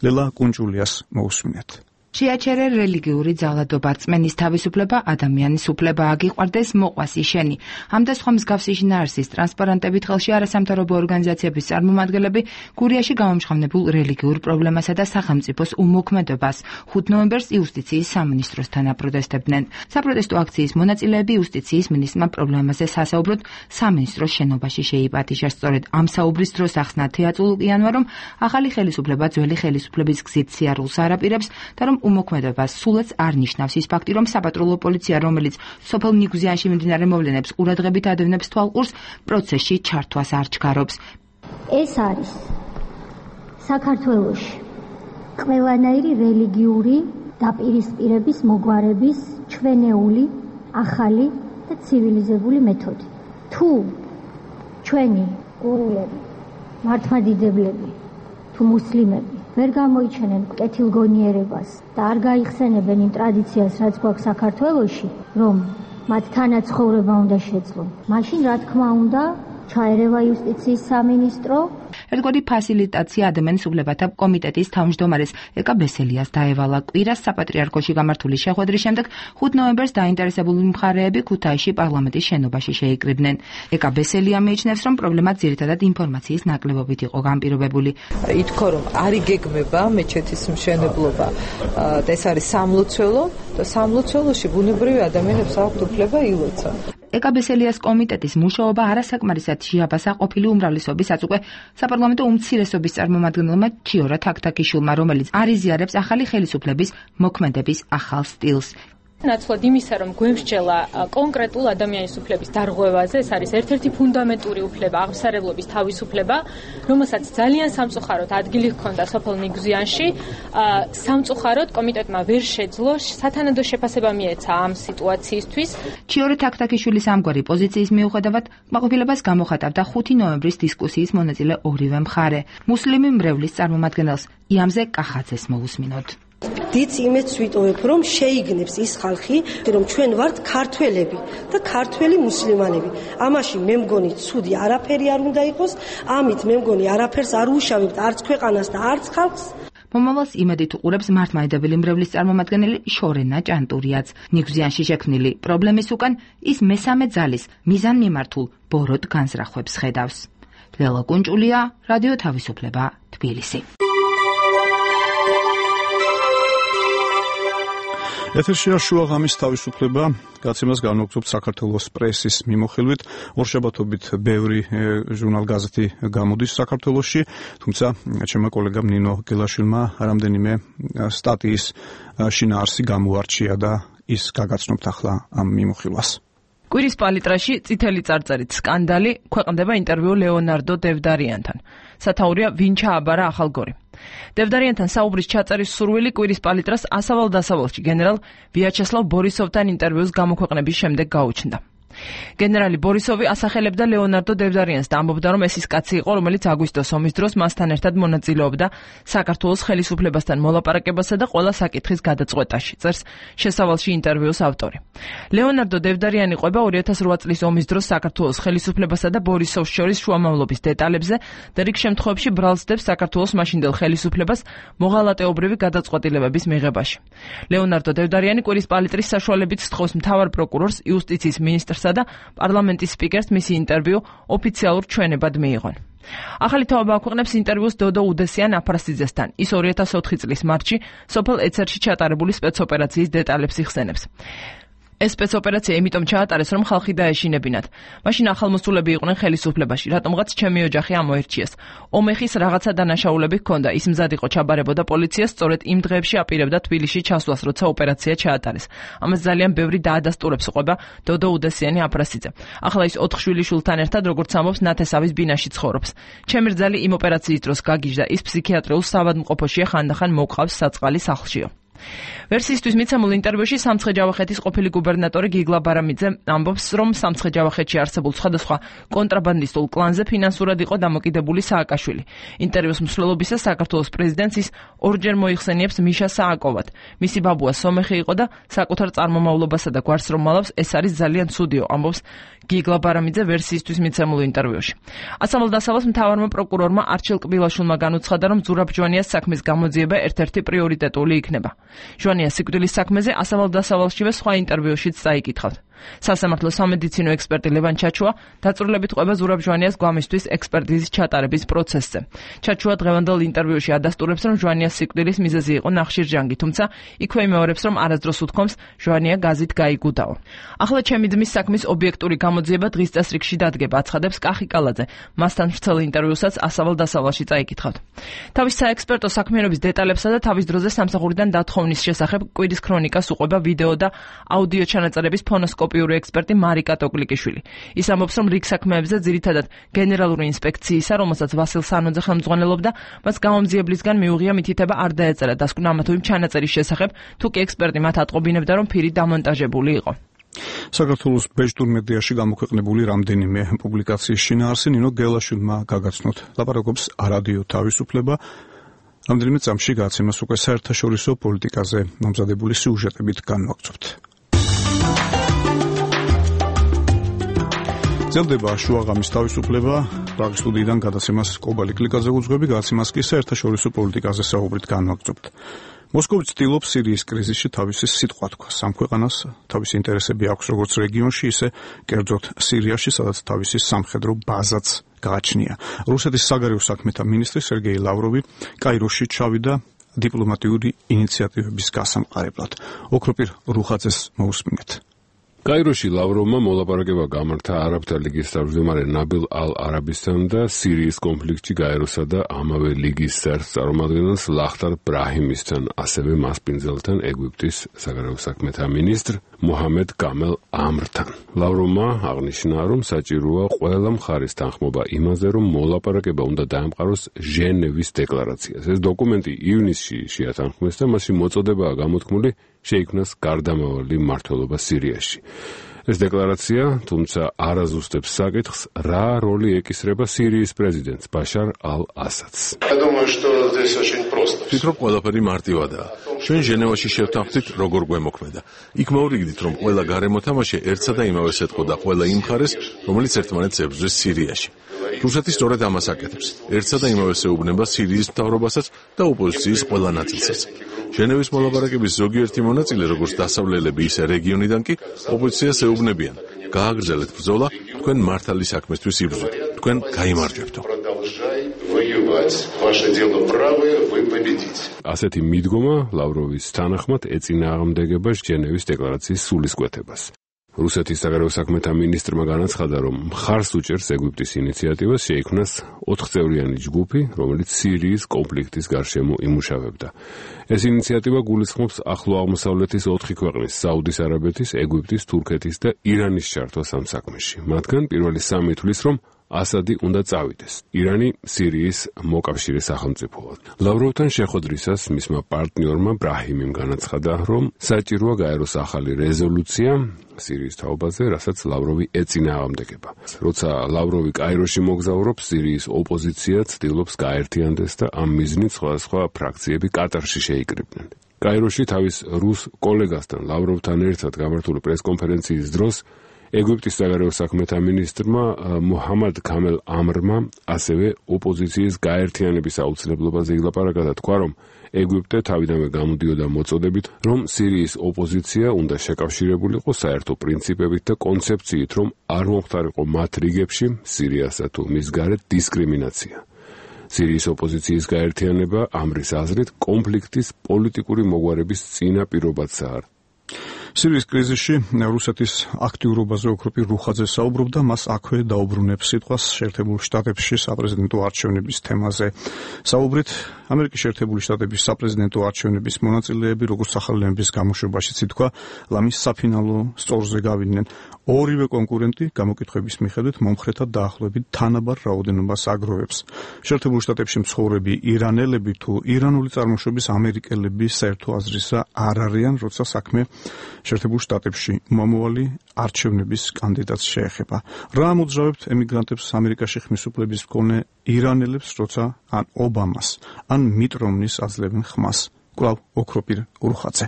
ლელა კუნჭულიას მოусმინეთ. შეაჩერე რელიგიური ძალადობა, რწმენის თავისუფლება, ადამიანის უფლება აგიყვარდეს, მოყვას იშენი. ამ და სხვა მსგავსი შინაარსის ტრანსპარანტებით ხელში არასამთავრობო ორგანიზაციების წარმომადგენლები გურიაში გამომჟღავნებულ რელიგიურ პრობლემასა და სახელმწიფოს უმოქმედებას ხუთ ნოემბერს იუსტიციის სამინისტროსთან აპროტესტებდნენ. საპროტესტო აქციის მონაწილეები იუსტიციის მინისტრმა პრობლემაზე სასაუბროდ სამინისტროს შენობაში შეიპატიჟა. სწორედ ამ საუბრის დროს ახსნა თეატრალურიანმა, რომ ახალი ხელისუფლება ძველი ხელისუფლების გზით სიარულს არაპირებს და რომ უმოქმედებას სულაც არ ნიშნავს ის ფაქტი, რომ საპატრულო პოლიცია, რომელიც სოფელ ნიგუზიანში მიმდინარე მოვლენებს ყურადღებით ადევნებს თვალყურს, პროცესში ჩართვას არ ჩქარობს. ეს არის საქართველოში ყველანაირი რელიგიური დაპირისპირების მოგვარების ჩვენეული, ახალი და ცივილიზებული მეთოდი. თუ ჩვენი გურულები, მართლმადიდებლები, თუ მუსლიმები ვერ გამოიჩენენ კეთილგონიერებას და არ გაიხსენებენ იმ ტრადიციას, რაც გვაქვს საქართველოში, რომ მათ თანაცხოვრება უნდა შეძლონ, მაშინ რა თქმა უნდა ჩაერევა იუსტიციის სამინისტრო. ერთგვარი ფასილიტაცია ადამიანის უფლებათა კომიტეტის თავმჯდომარეს ეკა ბესელიას დაევალა. კვირას საპატრიარქოში გამართული შეხვედრის შემდეგ ხუთ ნოემბერს დაინტერესებული მხარეები ქუთაისში პარლამენტის შენობაში შეიკრიბნენ. ეკა ბესელია მიიჩნევს, რომ პრობლემა ძირითადად ინფორმაციის ნაკლებობით იყო განპირობებული. ითქვა, რომ არ იგეგმება მეჩეთის მშენებლობა და ეს არის სამლოცველო და სამლოცველოში ბუნებრივი ადამიანებს აქვთ უფლება ილოცონ. ეკა ბესელიას კომიტეტის მუშაობა არასაკმარისად შეაბასა ყოფილი უმრავლესობის აწუყე საპარლამენტო უმცირესობის წარმომადგენელმა ჩიორა თაქთაქიშვილმა, რომელიც არიზიარებს ახალი ხელისუფლების მოქმედების ახალ სტილს. ნაცვლად იმისა, რომ გვემსჯელა კონკრეტულ ადამიანის უფლების დარღვევაზე, ეს არის ერთ-ერთი ფუნდამენტური უფლება, აღმსარებლობის თავისუფლება, რომელსაც ძალიან სამწუხაროდ ადგილი ჰქონდა სოფელ ნიგუზიანში. სამწუხაროდ კომიტეტმა ვერ შეძლო სათანადო შეფასება მიეცა ამ სიტუაციისთვის. ჩიორა თაქთაქიშვილის ამგვარი პოზიციის მიუხედავად კმაყოფილებას გამოხატავდა ხუთი ნოემბრის დისკუსიის მონაწილე ორივე მხარე. მუსლიმი მრევლის წარმომადგენელს იამზე კახაძეს მოусმინოთ. დიდ იმედს ვიტოვებ, რომ შეიგნებს ის ხალხი, რომ ჩვენ ვართ ქართველები და ქართველი მუსლიმანები. ამაში მე მგონი ცუდი არაფერი არ უნდა იყოს, ამით მე მგონი არაფერს არ უშავებთ არც ქვეყანას და არც ხალხს. მომავალს იმედით უყურებს მართლმადიდებელი მრევლის წარმომადგენელი შორენა ჭანტურიაც. ნიგუზიანში შექმნილი პრობლემის უკან ის მესამე ძალის მიზანმიმართულ ბოროტ განზრახვებს ხედავს. ლელა კუნჭულია, რადიო თავისუფლება, თბილისი. ეთერშია შუა ღამის თავისუფლება, გაცემას განვაგრძობთ საქართველოს პრესის მიმოხილვით. ორშაბათობით ბევრი ჟურნალ-გაზეთი გამოდის საქართველოში, თუმცა ჩემმა კოლეგამ ნინო გელაშვილმა რამდენიმე სტატიის შინაარსი გამოარჩია და ის გაგაცნობთ ახლა ამ მიმოხილვას. კვირის პალიტრაში წითელი წარწერით სკანდალი, ქვეყნდება ინტერვიუ ლეონარდო დევდარიანთან. სათაურია ვინ ჩააბარა ახალგორი. დევდარიანთან საუბრის ჩაწერის სურვილი კვირის პალიტრას ასავალ-დასავალში გენერალ ვიაჩესლავ ბორისოვთან ინტერვიუს გამოქვეყნების შემდეგ გაუჩნდა. გენერალი ბორისოვი ასახელებდა ლეონარდო დევდარიანს და ამბობდა, რომ ეს ის კაცი იყო, რომელიც აგვისტოს ომის დროს მასთან ერთად მონაწილეობდა საქართველოს ხელისუფლებასთან მოლაპარაკებასა და ყველა საკითხის გადაწყვეტაში, წერს შესავალში ინტერვიუს ავტორი. ლეონარდო დევდარიანი ყვება ორი ათას რვა წლის ომის დროს საქართველოს ხელისუფლებასა და ბორისოვს შორის შუამავლობის დეტალებზე და რიგ შემთხვევებში ბრალს დებს საქართველოს მაშინდელ ხელისუფლებას მოღალატეობრივი გადაწყვეტილებების მიღებაში. ლეონარდო დევდარიანი კვირის პალიტრის საშუალებით სთხოვს მთავარ პროკურორს, იუსტიციის მინისტრს და პარლამენტის სპიკერს მისი ინტერვიუ ოფიციალურ ჩვენებად მიიღონ. ახალი თაობა აქვეყნებს ინტერვიუს დოდო უდესიან აფრასიძესთან. ის ორი ათას ოთხი წლის მარტში სოფელ ეცერში ჩატარებული სპეცოპერაციის დეტალებს იხსენებს. ეს სპეცოპერაცია იმიტომ ჩაატარეს, რომ ხალხი დაეშინებინათ. მაშინ ახალმოსულები იყვნენ ხელისუფლებაში, რატომღაც ჩემი ოჯახი ამოერჩიეს. ომეხის რაღაცა დანაშაულები ჰქონდა, ის მზად იყო ჩაბარებოდა პოლიციას, სწორედ იმ დღეებში აპირებდა თბილისში ჩასვლას, როცა ოპერაცია ჩაატარეს. ამას ძალიან ბევრი დაადასტურებს ყვება დოდო უდესიანი აფრასიძე. ახლა ის ოთხ შვილიშვილთან ერთად, როგორც ამბობს, ნათესავის ბინაში ცხოვრობს. ჩემი რძალი იმ ოპერაციის დროს გაგიჟდა, ის ფსიქიატრიულ საავადმყოფოშია, ხანდახან მოყავს საწყალი სახლშიო. ვერსიისთვის მიცემულ ინტერვიუში სამცხე-ჯავახეთის ყოფილი გუბერნატორი გიგლა ბარამიძე ამბობს, რომ სამცხე-ჯავახეთში არსებულ სხვადასხვა კონტრაბანდისტულ კლანზე ფინანსურად იყო დამოკიდებული სააკაშვილი. ინტერვიუს მსვლელობისას საქართველოს პრეზიდენტს ის ორჯერ მოიხსენიებს მიშა სააკოვად. მისი ბაბუა სომეხი იყო და საკუთარ წარმომავლობასა და გვარს რომ მალავს, ეს არის ძალიან ცუდიო, ამბობს გიგლა ბარამიძე ვერსიისთვის მიცემულ ინტერვიუში. ასამალდასალოს მთავარმა პროკურორმა არჩილ კბილაშვილმა განუცხადა, რომ ზურაბ ჟვანიას საქმის გამოძიება ერთ-ერთი პრიორიტეტული იქნება. ჟვანიას სიკვდილის საქმეზე ასამალდასალოსშივე სხვა ინტერვიუშიც წაიკითხავთ. სასამართლო სამედიცინო ექსპერტი ლევან ჩაჩუა დაწვრილებით ყვება ზურაბ ჟვანიას გვამისთვის ექსპერტიზის ჩატარების პროცესზე. ჩაჩუა დღევანდელ ინტერვიუში ადასტურებს, რომ ჟვანიას სიკვდილის მიზეზი იყო ნახშირჯანგი, თუმცა იქვე იმეორებს, რომ არასდროს უთქვამს ჟვანია გაზით გაიგუდაო. ახლა ჩემი ძმის საქმის ობიექტური გამოძიება დღის წესრიგში დადგება, აცხადებს კახი კალაძე. მასთან ვრცელ ინტერვიუსაც ასავალ-დასავალში წაიკითხავთ. თავის საექსპერტო საქმიანობის დეტალებსა და თავის დროზე სამსახურიდან დათხოვნის შესახებ კვირის ქრონიკას უყვება ვიდეო და აუდიო ჩანაწერების ფონოსკოპიური ექსპერტი მარიკა ტოკლიკიშვილი. ის ამბობს, რომ რიგ საქმეებზე ძირითადად გენერალური ინსპექციისა, რომელსაც ვასილ სანოძე ხელმძღვანელობდა, მას გამომძიებლისგან მიუღია მითითება არ დაეწერა დასკვნა ამა თუ იმ ჩანაწერის შესახებ, თუ კი ექსპერტი მათ ატყობინებდა, რომ ფირი დამონტაჟებული იყო. საქართველოს ბეჭდურ მედიაში გამოქვეყნებული რამდენიმე პუბლიკაციის შინაარსი ნინო გელაშვილმა გაგაცნოთ. ლაპარაკობს არადიო თავისუფლება. რამდენიმე წამში გააცემას უკვე საერთაშორისო პოლიტიკაზე მომზადებული სიუჟეტებით განვაგრძობთ. ძლდება შუაღამის თავისუფლება, პრაღის სტუდიიდან გადაცემას კობალი კლიკაზე უძღვები, გადაცემას კი საერთაშორისო პოლიტიკაზე საუბრით განვაგრძობთ. მოსკოვი ცდილობს სირიის კრიზისში თავისი სიტყვა თქვას. ამ ქვეყანას თავისი ინტერესები აქვს როგორც რეგიონში, ისე კერძოდ სირიაში, სადაც თავისი სამხედრო ბაზაც გააჩნია. რუსეთის საგარეო საქმეთა მინისტრი სერგეი ლავროვი კაიროში ჩავიდა დიპლომატიური ინიციატივების გასამყარებლად. ოქროპირ რუხაძეს მოусმინეთ. კაიროში ლავროვმა მოლაპარაკება გამართა არაბთა ლიგის თავმჯდომარე ნაბილ ალ-არაბისთან და სირიის კონფლიქტში გაეროსა და ამავე ლიგის წარმომადგენელს ლახტარ ბრაჰიმისთან, ასევე მასპინძელთან ეგვიპტის საგარეო საქმეთა მინისტრ მუჰამედ გამელ ამრთან. ლავროვმა აღნიშნა, რომ საჭიროა ყველა მხარის თანხმობა იმაზე, რომ მოლაპარაკება უნდა დაემყაროს ჟენევის დეკლარაციას. ეს დოკუმენტი ივნისში შეათანხმეს და მასში მოწოდებაა გამოთქმული შეიქმნას გარდამავალი მმართველობა სირიაში. ეს დეკლარაცია, თუმცა არ აზუსტებს საკითხს, რა როლი ეკისრება სირიის პრეზიდენტს ბაშარ ალ-ასადს. ვფიქრობ, ყველაფერი მარტივადაა. ჩვენ ჟენევაში შევთანხმდით, როგორ გვემოქმედა. იქ მოვრიგდით, რომ ყველა გარემო თამაში ერთსა და იმავეს ეთყოდა ყველა იმ მხარეს, რომელიც ერთმანეთს ებრძვის სირიაში. რუსეთი სწორედ ამას აკეთებს. ერთსა და იმავეს ეუბნება სირიის მთავრობასაც და ოპოზიციის ყველა ნაწილსაც. ჟენევის მოლაპარაკების ზოგიერთი მონაწილე, როგორც დასავლელები, ისე რეგიონიდან კი ოპოზიციას ეუბნებიან: გააგრძელეთ ბრძოლა, თქვენ მართალი საქმესთვის იბრძვით, თქვენ გაიმარჯვებთო. ასეთი მიდგომა ლავროვის თანახმად ეწინააღმდეგება ჟენევის დეკლარაციის სულისკვეთებას. რუსეთის საგარეო საქმეთა მინისტრმა განაცხადა, რომ მხარს უჭერს ეგვიპტის ინიციატივას შეიქმნას ოთხწევრიანი ჯგუფი, რომელიც სირიის კონფლიქტის გარშემო იმუშავებდა. ეს ინიციატივა გულისხმობს ახლო აღმოსავლეთის ოთხი ქვეყნის საუდის არაბეთის, ეგვიპტის, თურქეთის და ირანის ჩართვას ამ საქმეში. მათგან პირველი სამი თვლის, რომ ასადი უნდა წავიდეს. ირანი სირიის მოკავშირე სახელმწიფოა. ლავროვთან შეხვედრისას მისმა პარტნიორმა ბრაჰიმიმ განაცხადა, რომ საჭიროა გაეროს ახალი რეზოლუცია სირიის თაობაზე, რასაც ლავროვი ეწინააღმდეგება. როცა ლავროვი კაიროში მოგზაურობს, სირიის ოპოზიცია ცდილობს გაერთიანდეს და ამ მიზნით სხვადასხვა ფრაქციები კატარში შეიკრიბნენ. კაიროში თავის რუს კოლეგასთან ლავროვთან ერთად გამართული პრესკონფერენციის დროს ეგვიპტის საგარეო საქმეთა მინისტრმა მუჰამად გამელ ამრმა ასევე ოპოზიციის გაერთიანების აუცილებლობაზე ილაპარაკა და თქვა, რომ ეგვიპტე თავიდანვე გამოდიოდა მოწოდებით, რომ სირიის ოპოზიცია უნდა შეკავშირებულიყო საერთო პრინციპებით და კონცეფციით, რომ არ მომხდარიყო მათ რიგებში სირიასა თუ მის გარეთ დისკრიმინაცია. სირიის ოპოზიციის გაერთიანება ამრის აზრით კონფლიქტის პოლიტიკური მოგვარების წინაპირობაცაა. სირიის კრიზისში რუსეთის აქტიურობაზე ოქროპირ რუხაძე საუბრობდა, მას აქვე დაუბრუნებს სიტყვას შეერთებულ შტატებში საპრეზიდენტო არჩევნების თემაზე. საუბრით ამერიკის შეერთებული შტატების საპრეზიდენტო არჩევნების მონაწილეები, როგორც ახალგაზრდების გამოშვებაში ითქვა, ლამის საფინალო სწორზე გავიდნენ. ორივე კონკურენტი გამოკითხვების მიხედვით მომხრეთა დაახლოებით თანაბარ რაოდენობას აგროვებს. შეერთებულ შტატებში მცხოვრები ირანელები თუ ირანული წარმოშობის ამერიკელები საერთო აზრისა არ არიან, როცა საქმე შეერთებულ შტატებში მომავალი არჩევნების კანდიდატს შეეხება. რა ამოძრავებთ ემიგრანტებს ამერიკაში ხმის უფლების მქონე ირანელებს, როცა ან ობამას, ან მიტ რომნის აძლევენ ხმას? კვლავ ოქროპირ რუხაძე.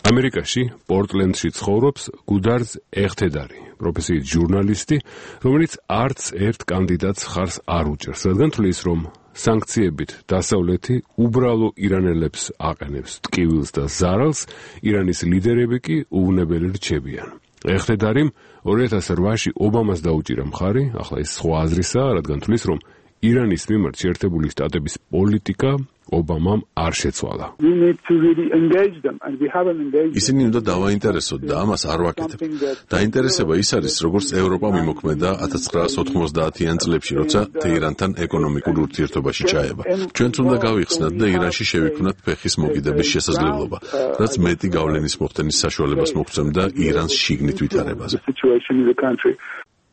ამერიკაში პორტლენდში ცხოვრობს გუდარზ ეხთედარი, პროფესიით ჟურნალისტი, რომელიც არც ერთ კანდიდატს ხარს არ უჭერს, რადგან თვლის, რომ სანქციებით დასავლეთი უბრალო ირანელებს აყენებს ტკივილს და ზარალს, ირანის ლიდერები კი უვნებელი რჩებიან. ეხთედარიმ ორი ათას რვაში ობამას დაუჭირა მხარი, ახლა ეს სხვა აზრისაა, რადგან თვლის, რომ ირანის მიმართ შეერთებული შტატების პოლიტიკა ობამამ არ შეცვალა. ისინი უნდა დავაინტერესოთ და ამას არ ვაკეთებ. დაინტერესება ის არის, როგორც ევროპა მიმოქმედა ათას ცხრაასი ოთხმოცდაათიან წლებში, როცა თეირანთან ეკონომიკურ ურთიერთობაში ჩაება. ჩვენც უნდა გავიხსნათ და ირანში შევიქმნათ ფეხის მოგიდების შესაძლებლობა, რაც მეტი გავლენის მოხდენის საშუალებას მოგცემდა ირანს შიგნით ვითარებაზე.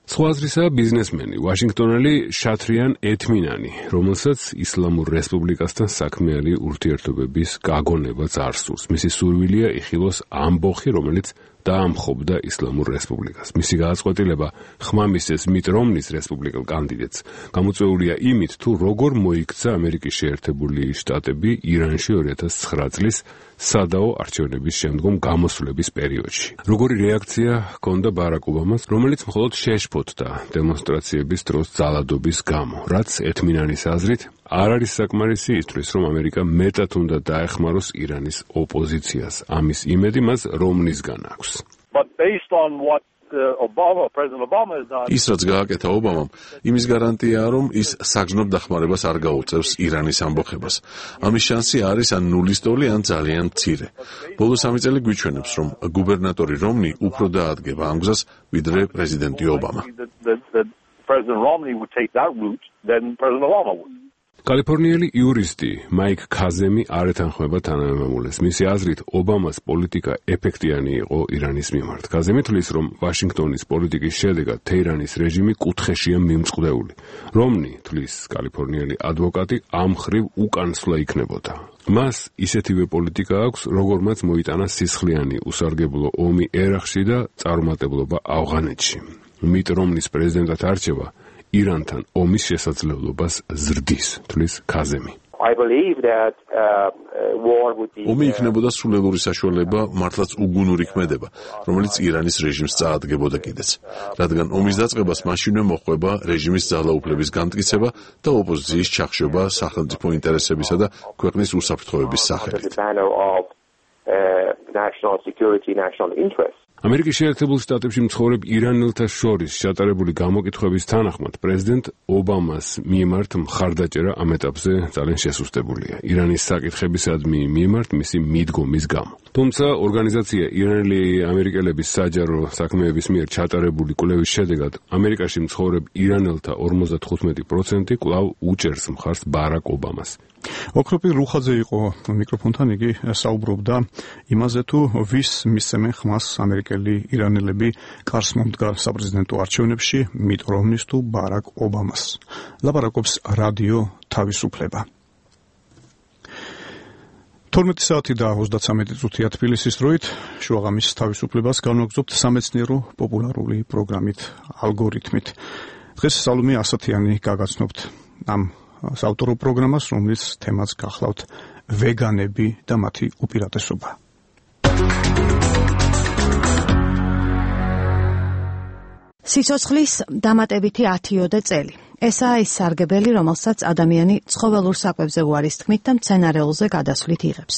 სხვა აზრისაა ბიზნესმენი, ვაშინგტონელი შათრიან ეთმინანი, რომელსაც ისლამურ რესპუბლიკასთან საქმიანი ურთიერთობების გაგონებაც არ სურს. მისი სურვილია იხილოს ამბოხი, რომელიც დაამხობდა ისლამურ რესპუბლიკას. მისი გააწყვეტილება ხმამისცეს მიტ რომნის რესპუბლიკელ კანდიდატს გამოწვეულია იმით, თუ როგორ მოიქცა ამერიკის შეერთებული შტატები ირანში ორი ათას ცხრა წლის სადაო არჩევნების შემდგომ გამოსვლების პერიოდში. როგორი რეაქცია ჰქონდა ბარაკ ობამას, რომელიც მხოლოდ შეშფოთდა დემონსტრაციების დროს ძალადობის გამო, რაც ეთმინანის აზრით არ არის საკმარისი ისთვის, რომ ამერიკა მეტად უნდა დაეხმაროს ირანის ოპოზიციას. ამის იმედი მას რომნისგან აქვს. ის რაც გააკეთა ობამამ, იმის გარანტიაა, რომ ის საგზნობ დახმარებას არ გაუწევს ირანის ამბოხებას. ამის შანსი არის ან ნულის ტოლი, ან ძალიან მცირე. ბოლო სამი წელი გვიჩვენებს, რომ გუბერნატორი რომნი უფრო დაადგება ამ გზას, ვიდრე პრეზიდენტი ობამა. კალიფორნიელი იურისტი მაიკ ქაზემი არ ეთანხმება თანამემამულეს. მისი აზრით, ობამას პოლიტიკა ეფექტიანი იყო ირანის მიმართ. ქაზემი თვლის, რომ ვაშინგტონის პოლიტიკის შედეგად თეირანის რეჟიმი კუთხეშია მიმწყდეული. რომნი, თვლის კალიფორნიელი ადვოკატი, ამ ხრივ უკანსვლა იქნებოდა. მას ისეთივე პოლიტიკა აქვს, როგორმაც მოიტანა სისხლიანი უსარგებლო ომი ერაყში და წარუმატებლობა ავღანეთში. მიტ რომნის პრეზიდენტად არჩევა ირანთან ომის შესაძლებლობას ზრდის, თვლის ქაზემი. ომი იქნებოდა სულელური საშუალება მართლაც უგუნური ქმედება, რომელიც ირანის რეჟიმს წაადგებოდა კიდეც, რადგან ომის დაწყებას მაშინვე მოჰყვება რეჟიმის ძალაუფლების განმტკიცება და ოპოზიციის ჩახშობა სახელმწიფო ინტერესებისა და ქვეყნის უსაფრთხოების სახელით. ამერიკის შეერთებულ შტატებში მცხოვრებ ირანელთა შორის ჩატარებული გამოკითხვების თანახმად პრეზიდენტ ობამას მიმართ მხარდაჭერა ამ ეტაპზე ძალიან შესუსტებულია ირანის საკითხებისადმი მიმართ მისი მიდგომის გამო. თუმცა ორგანიზაცია ირანელი ამერიკელების საჯარო საქმეების მიერ ჩატარებული კვლევის შედეგად ამერიკაში მცხოვრებ ირანელთა ორმოცდათხუთმეტი პროცენტი კვლავ უჭერს მხარს ბარაკ ობამას. ოქროპი რუხაძე იყო მიკროფონთან, იგი საუბრობდა იმაზე, თუ ვის მისცემენ ხმას ამერიკელი ირანელები კარს მომდგარ საპრეზიდენტო არჩევნებში, მიტ რომნის თუ ბარაკ ობამას. ლაპარაკობს რადიო თავისუფლება. თორმეტი საათი და ოცდაცამეტი წუთია თბილისის დროით, შუაღამის თავისუფლებას განვაგრძობთ სამეცნიერო პოპულარული პროგრამით ალგორითმით. დღეს სალომე ასათიანი გაგაცნობთ ამ საავტორო პროგრამას, რომლის თემაც გახლავთ ვეგანები და მათი უპირატესობა. სიცოცხლის დამატებითი ათიოდე წელი. ესაა ის სარგებელი, რომელსაც ადამიანი ცხოველურ საკვებზე უარის თქმით და მცენარეულზე გადასვლით იღებს.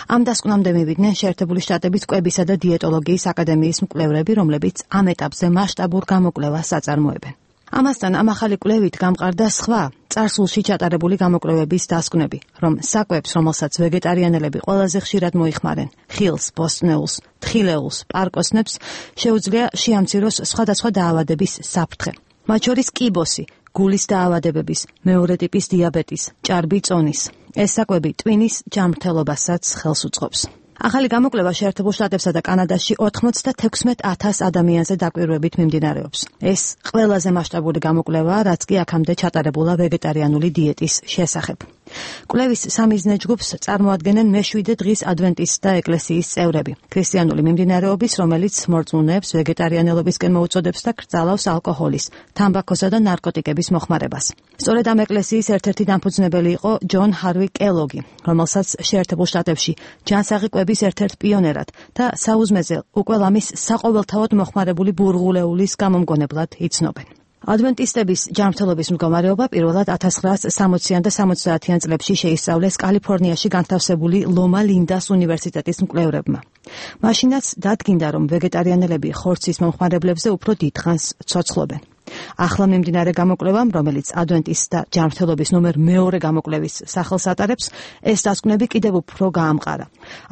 ამ დასკვნამდე მივიდნენ შეერთებული შტატების კვებისა და დიეტოლოგიის აკადემიის მკვლევრები, რომლებიც ამ ეტაპზე მასშტაბურ გამოკვლევას აწარმოებენ. ამასთან ამ ახალი კვლევით გამყარდა სხვა წარსულში ჩატარებული გამოკვლევების დასკვნები, რომ საკვებს, რომელსაც ვეგეტარიანელები ყველაზე ხშირად მოიხმარენ, ხილს, ბოსტნეულს, თხილეულს, პარკოსნებს, შეუძლია შეამციროს სხვადასხვა დაავადების საფრთხე. მათ შორის კიბოსი, გულის დაავადებების, მეორე ტიპის დიაბეტის, ჭარბი წონის. ეს საკვები ტვინის ჯანმრთელობასაც ხელს უწყობს. ახალი გამოკვლევა შეერთებულ შტატებსა და კანადაში ოცდათექვსმეტ ათას ადამიანზე დაკვირვებით მიმდინარეობს. ეს ყველაზე მასშტაბური გამოკვლევაა, რაც კი აქამდე ჩატარებულა ვეგეტარიანული დიეტის შესახებ. კვლევის სამიზნე ჯგუფს წარმოადგენენ მეშვიდე დღის ადვენტისტთა ეკლესიის წევრები. ქრისტიანული მიმდინარეობის, რომელიც მორწმუნეებს ვეგეტარიანელობისკენ მოუწოდებს და კრძალავს ალკოჰოლის, თამბაქოსა და ნარკოტიკების მოხმარებას. სწორედ ამ ეკლესიის ერთ-ერთი დამფუძნებელი იყო ჯონ ჰარვი კელოგი, რომელსაც შეერთებულ შტატებში ჯანსაღი კვების ერთ-ერთ პიონერად და საუზმეზე უკვე ლამის საყოველთაოდ მოხმარებული ბურღულეულის გამომგონებლად იცნობენ. ადვენტისტების ჯანმრთელობის მდგომარეობა პირველად ათას ცხრაასი სამოციან და სამოცდაათიან წლებში შეისწავლეს კალიფორნიაში განთავსებული ლომა ლინდას უნივერსიტეტის მკვლევრებმა. მაშინაც დადგინდა, რომ ვეგეტარიანელები ხორცის მომხმარებლებზე უფრო დიდხანს ცოცხლობენ. ახლა მიმდინარე გამოკვლევამ, რომელიც ადვენტისტთა ჯანმრთელობის ნომერ მეორე გამოკვლევის სახელს ატარებს, ეს დასკვნები კიდევ უფრო გაამყარა.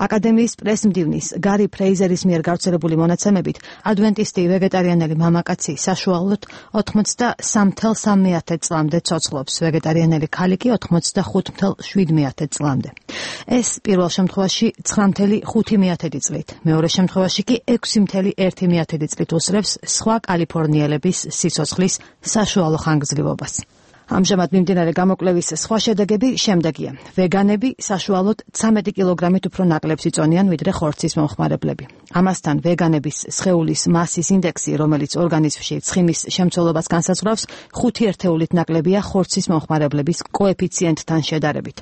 აკადემიის პრესმდივნის გარი ფრეიზერის მიერ გავრცელებული მონაცემებით, ადვენტისტი ვეგეტარიანელი მამაკაცი საშუალოდ ოცდამეტ წამსვე წლამდე ცოცხლობს, ვეგეტარიანელი ქალი კი ოცდახუთ შვიდ წლამდე. ეს პირველ შემთხვევაში ცხრა ხუთი წლით, მეორე შემთხვევაში კი ექვსი ერთი წლით უსწრებს სხვა კალიფორნიელების სიცოცხლის საშუალო ხანგრძლივობას. ამჟამად მიმდინარე გამოკვლევის სხვა შედეგები შემდეგია. ვეგანები საშუალოდ ცამეტი კილოგრამით უფრო ნაკლებს იწონიან, ვიდრე ხორცის მომხმარებლები. ამასთან ვეგანების სხეულის მასის ინდექსი, რომელიც ორგანიზმში ცხიმის შემცველობას განსაზღვრავს, ხუთი ერთეულით ნაკლებია ხორცის მომხმარებლების კოეფიციენტთან შედარებით.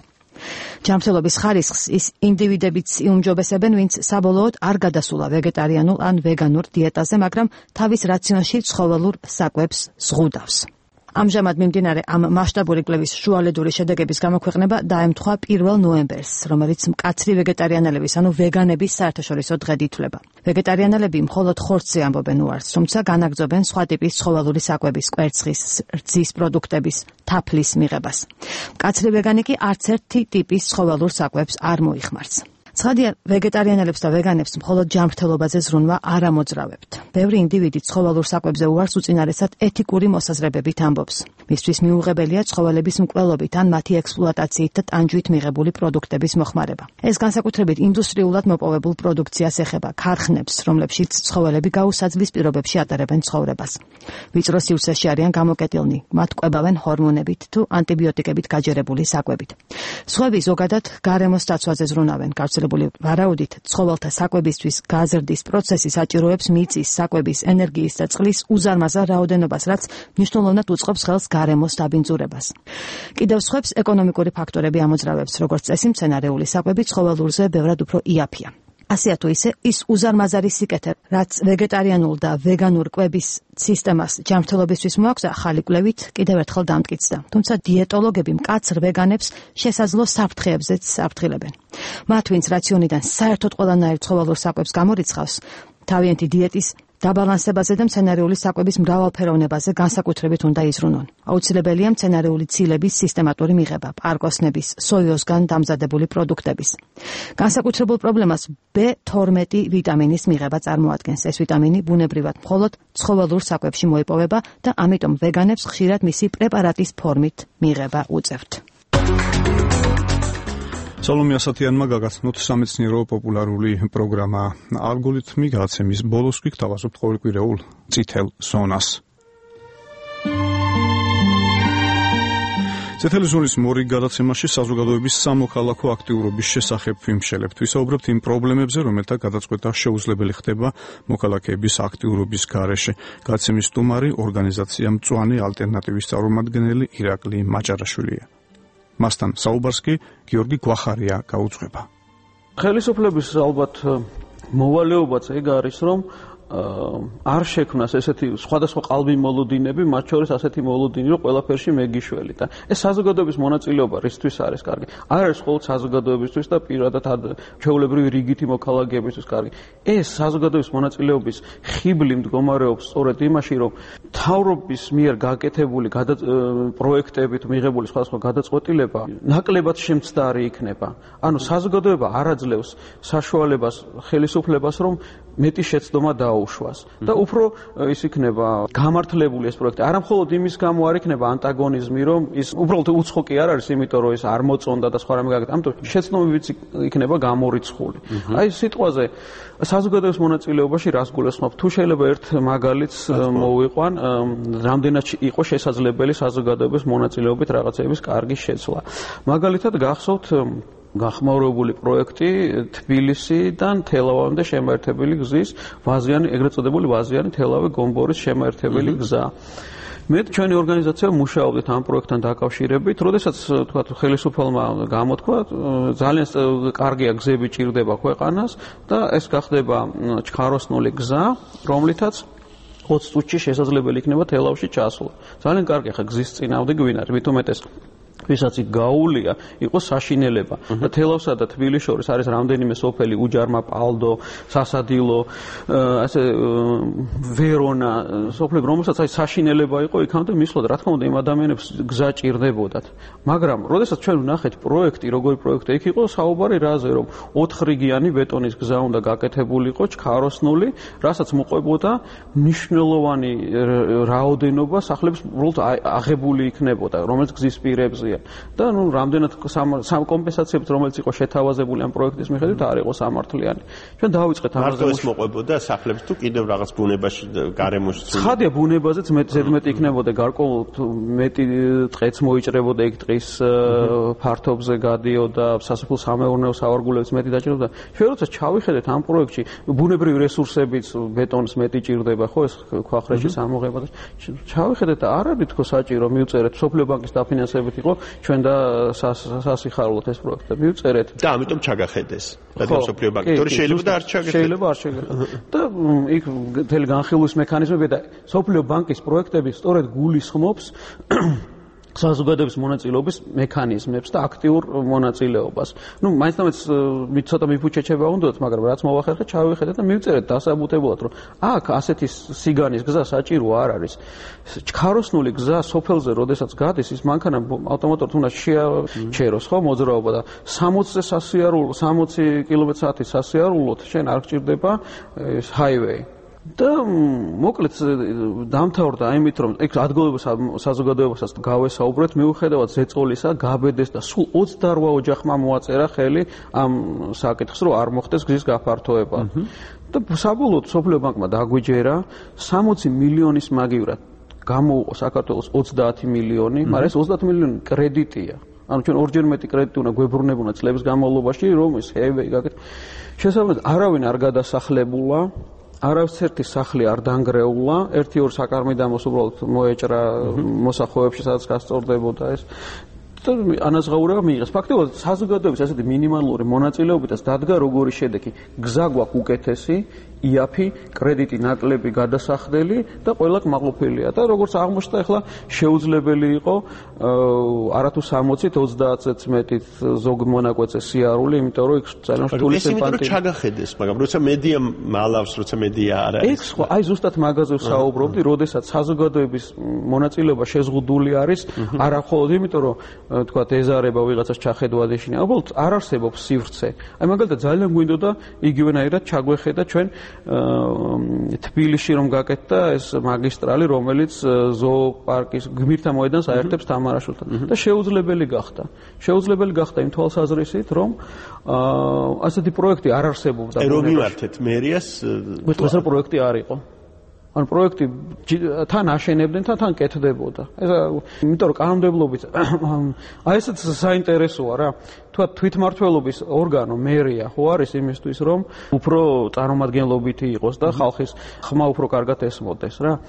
ჯანმრთელობის ხარისხს ის ინდივიდებიც იუმჯობესებენ, ვინც საბოლოოდ არ გადასულა ვეგეტარიანულ ან ვეგანურ დიეტაზე, მაგრამ თავის რაციონში ცხოველურ საკვებს ზღუდავს. ამჟამად მიმდინარე ამ მასშტაბური კვლევის შუალედური შედეგების გამოქვეყნება დაემთხვა პირველ ნოემბერს, რომელიც მკაცრი ვეგეტარიანელების, ანუ ვეგანების საერთაშორისო დღედ ითვლება. ვეგეტარიანელები მხოლოდ ხორცზე ამბობენ უარს, თუმცა განაგრძობენ სხვა ტიპის ცხოველური საკვების, კვერცხის, რძის პროდუქტების, თაფლის მიღებას. მკაცრი ვეგანი კი არც ერთი ტიპის ცხოველურ საკვებს არ მოიხმარს. ცხადია, ვეგეტარიანელებს და ვეგანებს მხოლოდ ჯანმრთელობაზე ზრუნვა არ ამოძრავებთ. ბევრი ინდივიდი ცხოველურ საკვებზე უარს უწინარესად ეთიკური მოსაზრებებით ამბობს. მისთვის მიუღებელია ცხოველების მკვლელობით ან მათი ექსპლუატაციით და ტანჯვით მიღებული პროდუქტების მოხმარება. ეს განსაკუთრებით ინდუსტრიულად მოპოვებულ პროდუქციას ეხება, ქარხნებს, რომლებშიც ცხოველები გაუსაძლის პირობებში ატარებენ ცხოვრებას. ვიწრო სივრცეში არიან გამოკეტილნი, მათ კვებავენ ჰორმონებით თუ ანტიბიოტიკებით გაჯერებული საკვებით. სხვები ზოგადად გარემოს დაცვაზე ზრუნავენ. ვარაუდით, ცხოველთა საკვებისთვის გაზრდის პროცესი საჭიროებს მიწის, საკვების, ენერგიის და წყლის უზარმაზარ რაოდენობას, რაც მნიშვნელოვნად უწყობს ხელს გარემოს დაბინძურებას. კიდევ სხვებს ეკონომიკური ფაქტორები ამოძრავებს, როგორც წესი, მცენარეული საკვები ცხოველურზე ბევრად უფრო იაფია. ასე თუ ისე, ის უზარმაზარი სიკეთე, რაც ვეგეტარიანულ და ვეგანურ კვების სისტემას ჯანმრთელობისთვის მოაქვს, ახალი კვლევით კიდევ ერთხელ დამტკიცდა. თუმცა დიეტოლოგები მკაცრ ვეგანებს შესაძლო საფრთხეებზეც აფრთხილებენ. მათ, ვინც რაციონიდან საერთოდ ყველანაირ ცხოველურ საკვებს გამორიცხავს, თავიანთი დიეტის დაბალანსებაზე და მცენარეული საკვების მრავალფეროვნებაზე განსაკუთრებით უნდა იზრუნონ. აუცილებელია მცენარეული ცილების სისტემატური მიღება, პარკოსნების, სოიოსგან დამზადებული პროდუქტების. განსაკუთრებულ პრობლემას ბ თორმეტი ვიტამინის მიღება წარმოადგენს. ეს ვიტამინი ბუნებრივად მხოლოდ ცხოველურ საკვებში მოიპოვება და ამიტომ ვეგანებს ხშირად მისი პრეპარატის ფორმით მიღება უწევთ. სალომე ასათიანმა გაგაცნოთ სამეცნიერო პოპულარული პროგრამა ალგორითმი გადაცემის ბოლოს გვიგთავაზობთ ყოველკვირეულ წითელ ზონას. წითელი ზონის მორიგ გადაცემაში საზოგადოების სამოქალაქო აქტიურობის შესახებ ვიმშელებთ. ვისაუბრებთ იმ პრობლემებზე, რომელთა გადაწყვეტა შეუძლებელი ხდება მოქალაქეების აქტიურობის გარეშე. გადაცემის სტუმარი ორგანიზაცია მწვანე ალტერნატივის წარმომადგენელი ირაკლი მაჭარაშვილია. მასთან საუბარს კი გიორგი გვახარია გაუძღვება. ხელისუფლების ალბათ მოვალეობაც ეგ არის, რომ არ შექმნას ესეთი სხვადასხვა qalbi მოლოდინები, მათ შორის ასეთი მოლოდინი, რომ ყველაფერში მეგიშველი და ეს საზოგადოების მონაწილეობა რისთვის არის კარგი? არ არის მხოლოდ საზოგადოებისთვის და პირადად ჩვეულებრივი რიგითი მოქალაქეებისთვის კარგი. ეს საზოგადოების მონაწილეობის ხიბლი მდგომარეობს სწორედ იმაში, რომ მთავრობის მიერ გაკეთებული პროექტებით მიღებული სხვადასხვა გადაწყვეტილება ნაკლებად შემცდარი იქნება. ანუ საზოგადოება არ აძლევს საშუალებას ხელისუფლებას, რომ მეტი შეცდომა დაუშვას და უფრო ის იქნება გამართლებული ეს პროექტი. არა მხოლოდ იმის გამო არ იქნება ანტაგონიზმი, რომ ის უბრალოდ უცხო კი არ არის, იმიტომ რომ ის არ მოწონდა და სხვა რამე გაკეთდა. ამიტომ შეცდომებიც იქნება გამორიცხული. აი სიტყვაზე საზოგადოების მონაწილეობაში რას გულისხმობ? თუ შეიძლება ერთ მაგალითს მოვიყვან, რამდენად იყო შესაძლებელი საზოგადოების მონაწილეობით რაღაცების კარგი შეცვლა. მაგალითად გახსოვთ გახმაურებული პროექტი თბილისიდან თელავამდე შემაერთებელი გზის ვაზიანი, ეგრეთ წოდებული ვაზიანი თელავი-გომბორის შემაერთებელი გზა. მე ჩვენი ორგანიზაცია მუშაობდით ამ პროექტთან დაკავშირებით, როდესაც თქვა ხელისუფალმა გამოთქვა, ძალიან კარგია გზები ჭირდება ქვეყანას და ეს გახდება ჩქაროსნული გზა, რომლითაც ოცი წუთში შესაძლებელი იქნება თელავში ჩასვლა. ძალიან კარგი ხა გზის წინააღმდეგ ვინ არის, მით უმეტეს ვისაც იქ გაუულია, იყო საშინელება. და თელავსა და თბილისის შორის არის რამდენიმე სოფელი, უჯარმა, პალდო, სასადილო, ასე ვერონა, სოფლები, რომელსაც აი საშინელება იყო იქამდე მისვლად, რა თქმა უნდა, იმ ადამიანებს გზა ჭირდებოდათ. მაგრამ, როდესაც ჩვენ ვნახეთ პროექტი, როგორი პროექტი იქ იყო, საუბარი რაზე, რომ ოთხრიგიანი ბეტონის გზა უნდა გაკეთებულიყო, ჩქაროსნული, რასაც მოყვებოდა მნიშვნელოვანი რაოდენობა სახლების უბრალოდ აღებული იქნებოდა, რომელიც გზის პირებზე და ნუ რამდენად სამ კომპენსაციებს რომელიც იყო შეთავაზებული ამ პროექტის მიხედვით არ იყო სამართლიანი. ჩვენ დავიწყეთ ამაზე მარტო ეს მოყვებოდა სახლებს თუ კიდევ რაღაც ბუნებაში გარემოში ცხადია ბუნებაზეც მეტი ზედმეტი იქნებოდა გარკვეულ მეტი ტყეც მოიჭრებოდა იქ ტყის ფართობზე გადიოდა სასოფლო სამეურნეო სავარგულებს მეტი დაჭირდა. ჩვენ როცა ჩავიხედეთ ამ პროექტში ბუნებრივი რესურსებიც ბეტონს მეტი ჭირდება ხო ეს ქვახრეჭის ამოღება და ჩავიხედეთ და არ არის თქო საჭირო მივწერეთ სოფლიო ბანკის დაფინანსებით იყო ჩვენ და სასიხარულოთ ეს პროექტი და მივწერეთ და ამიტომ ჩაგახედეს რადგან სოფლიო ბანკი თორე შეიძლება და არ ჩაგახედეს შეიძლება არ ჩაგახედეს და იქ მთელი განხილვის მექანიზმები და სოფლიო ბანკის პროექტები სწორედ გულისხმობს საზოგადოების მონაწილეობის მექანიზმებს და აქტიურ მონაწილეობას. ნუ მაინც და მაინც ცოტა მიფუჩეჩება უნდათ, მაგრამ რაც მოვახერხეთ, ჩავიხედეთ და მივწერეთ დასაბუთებულად, რომ აქ ასეთი სიგანის გზა საჭირო არ არის. ჩქაროსნული გზა სოფელზე, როდესაც გადის, ის მანქანა ავტომატურად უნდა შეაჩეროს, ხო, მოძრაობა და სამოცზე სასიარულო, სამოცი კილომეტრ-საათის სასიარულოდ შენ არ გჭირდება ეს ჰაივეი. და მოკლედ დამთავრდა იმით, რომ ეგ ადგილობრივ საზოგადოებასაც გავესაუბრეთ, მიუხედავად ზეწოლისა, გაბედეს და სულ ოცდაორ ოჯახმა მოაწერა ხელი ამ საკითხს, რომ არ მოხდეს გზის გაფართოება. და საბოლოოდ სოფლიო ბანკმა დაგვიჯერა სამოცი მილიონის მაგივრად გამოუყო საქართველოს ოცდაათი მილიონი, მაგრამ ეს ოცდაათი მილიონი კრედიტია. ანუ ჩვენ ორჯერ მეტი კრედიტი უნდა გვებრუნებონა წლების განმავლობაში, რომ ეს ჰეივეი გაკეთდეს. შესაბამისად, არავინ არ გადასახლებულა. არავითარი სახლი არ დანგრეულა, ერთი-ორი საკარმიდამოს უბრალოდ მოეჭრა მოსახლეებში, სადაც გასწორდებოდა ეს. და ანაზღაურება მიიღეს. ფაქტობრივად საზოგადოების ასეთი მინიმალური მონაწილეობითაც დადგა როგორი შედეგი. გზა გვაქვს უკეთესი, იაფი, კრედიტი ნაკლები გადასახდელი და ყველა კმაყოფილია. და როგორც აღმოჩნდა, ახლა შეუძლებელი იყო არათუ სამოცით, ოცდაათზეც მეტით ზოგ მონაკვეთზე სიარული, იმიტომ რომ იქ ძალიან რთული სიმპათია. ეს იმიტომ რომ ჩაგახედეს, მაგრამ როცა მედია მალავს, როცა მედია არ არის. ეს ხო, აი ზუსტად მაგაზე ვსაუბრობდი, როდესაც საზოგადოების მონაწილეობა შეზღუდული არის, არა მხოლოდ იმიტომ რომ თქვა ეზარება ვიღაცას ჩახედვა დეშინი. უბრალოდ არ არსებობს სივრცე. აი მაგალითად ძალიან გვინდოდა იგივენაირად ჩაგვეხედა ჩვენ თბილისში რომ გაკეთდა ეს მაგისტრალი, რომელიც ზოოპარკის გმირთა მოედანს აერთებს თამარაშვილთან და შეუძლებელი გახდა. შეუძლებელი გახდა იმ თვალსაზრისით, რომ ასეთი პროექტი არ არსებობდა. აი რომ მიმართეთ მერიას, ეს პროექტი არ იყო. ან პროექტი თან აშენებდნენ, თან კეთდებოდა. ეს იმიტომ რომ კანონმდებლობით აი ესეც საინტერესოა რა. თქვა თვითმმართველობის ორგანო მერია ხო არის იმისთვის, რომ უფრო წარმომადგენლობითი იყოს და ხალხის ხმა უფრო კარგად ესმოდეს რა.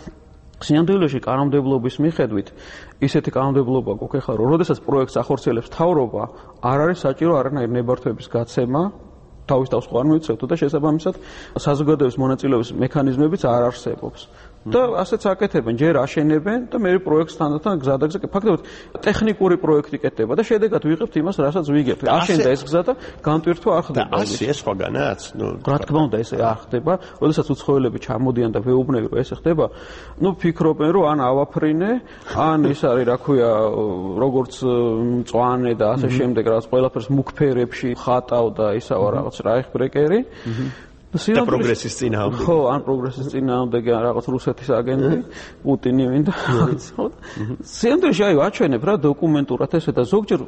სინამდვილეში კანონმდებლობის მიხედვით ისეთი კანონმდებლობა გვაქვს ახლა, რომ როდესაც პროექტს ახორციელებს მთავრობა, არ არის საჭირო არანაირი ნებართვების გაცემა. თავის თავს ხო არ მოიცავთ და შესაბამისად საზოგადოების მონაწილეობის მექანიზმებიც არ არსებობს. და ასეც აკეთებენ, ჯერ აშენებენ და მე პროექტს თანდათან გზადაგზა. ფაქტობრივად ტექნიკური პროექტი კეთდება და შედეგად ვიღებთ იმას, რასაც ვიგებთ. აშენდა ეს გზა და განტვირთვა არ ხდება. და ასე ეს სხვაგანაც, ნუ რა თქმა უნდა ეს არ ხდება. როდესაც უცხოელები ჩამოდიან და ვეუბნები რომ ეს ხდება, ნუ ფიქრობენ რომ ან ავაფრინე, ან ის არის რა ქვია, როგორც მწვანე და ასე შემდეგ, რაც ყველაფერს მუქფერებში ხატავ და ისავა რაღაც რაიხბრეკერი. და პროგრესის წინააღმდეგ. ხო, ან პროგრესის წინააღმდეგ ან რაღაც რუსეთის აგენტი, პუტინი მინდა. სინამდვილეში აი აჩვენებ რა დოკუმენტურად ესე და ზოგჯერ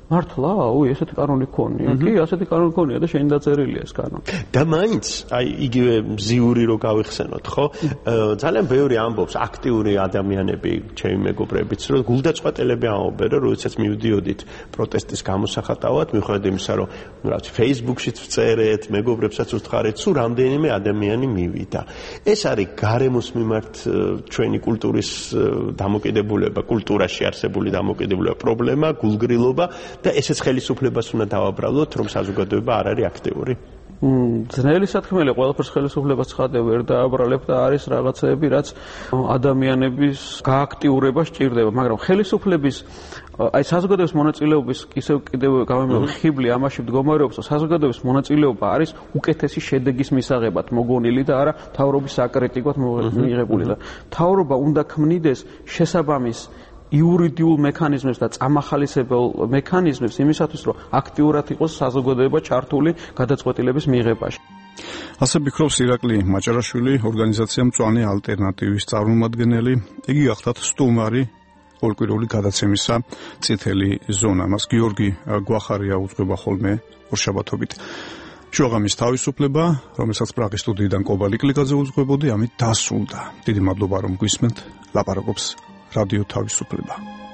მართლა, აუ, ესეთი კანონი ქონია. კი, ასეთი კანონი ქონია და შენ დაწერილია ეს კანონი. და მაინც, აი, იგივე მზიური რო გავიხსენოთ, ხო? ძალიან ბევრი ამბობს, აქტიური ადამიანები, ჩემი მეგობრებიც, რომ გულდაწყვეტელები ამბობენ, რომ როდესაც მივდიოდით პროტესტის გამოსახატავად, მიუხედავად იმისა, რომ რაც Facebook-შიც ვწერეთ, მეგობრებსაც ვუთხარით, სულ რამდენიმე ადამიანი მივიდა. ეს არის გარემოს მიმართ ჩვენი კულტურის დამოკიდებულება, კულტურაში არსებული დამოკიდებულება, პრობლემა, გულგრილობა და ესეც ხელისუფლებას უნდა დავაბრალოთ, რომ საზოგადოება არ არის აქტიური. ძნელი სათქმელი ყველაფერს ხელისუფლებას ცხადე ვერ დააბრალებ და არის რაღაცეები, რაც ადამიანების გააქტიურება სჭირდება, მაგრამ ხელისუფლების აი საზოგადოების მონაწილეობის ისევ კიდევ გამომივიდა ხიბლი ამაში მდგომარეობს, რომ საზოგადოების მონაწილეობა არის უკეთესი შედეგის მისაღებად მოგონილი და არა მთავრობის საკრიტიკოდ მიიღებული და მთავრობა უნდა ქმნიდეს შესაბამის იურიდიულ მექანიზმებს და წამახალისებელ მექანიზმებს იმისათვის, რომ აქტიურად იყოს საზოგადოება ჩართული გადაწყვეტილების მიღებაში. ასე ფიქრობს ირაკლი მაჭარაშვილი, ორგანიზაცია მწვანე ალტერნატივის წარმომადგენელი. იგი გახლავთ სტუმარი ორკვირეული გადაცემისა წითელი ზონა. მას გიორგი გვახარია უძღვება ხოლმე ორშაბათობით. შუაღამის თავისუფლება, რომელსაც პრაღის სტუდიიდან კობალი კლიკაძე უძღვებოდი, ამით დასრულდა. დიდი მადლობა რომ გვისმენთ. ლაპარაკობს რადიო თავისუფლება.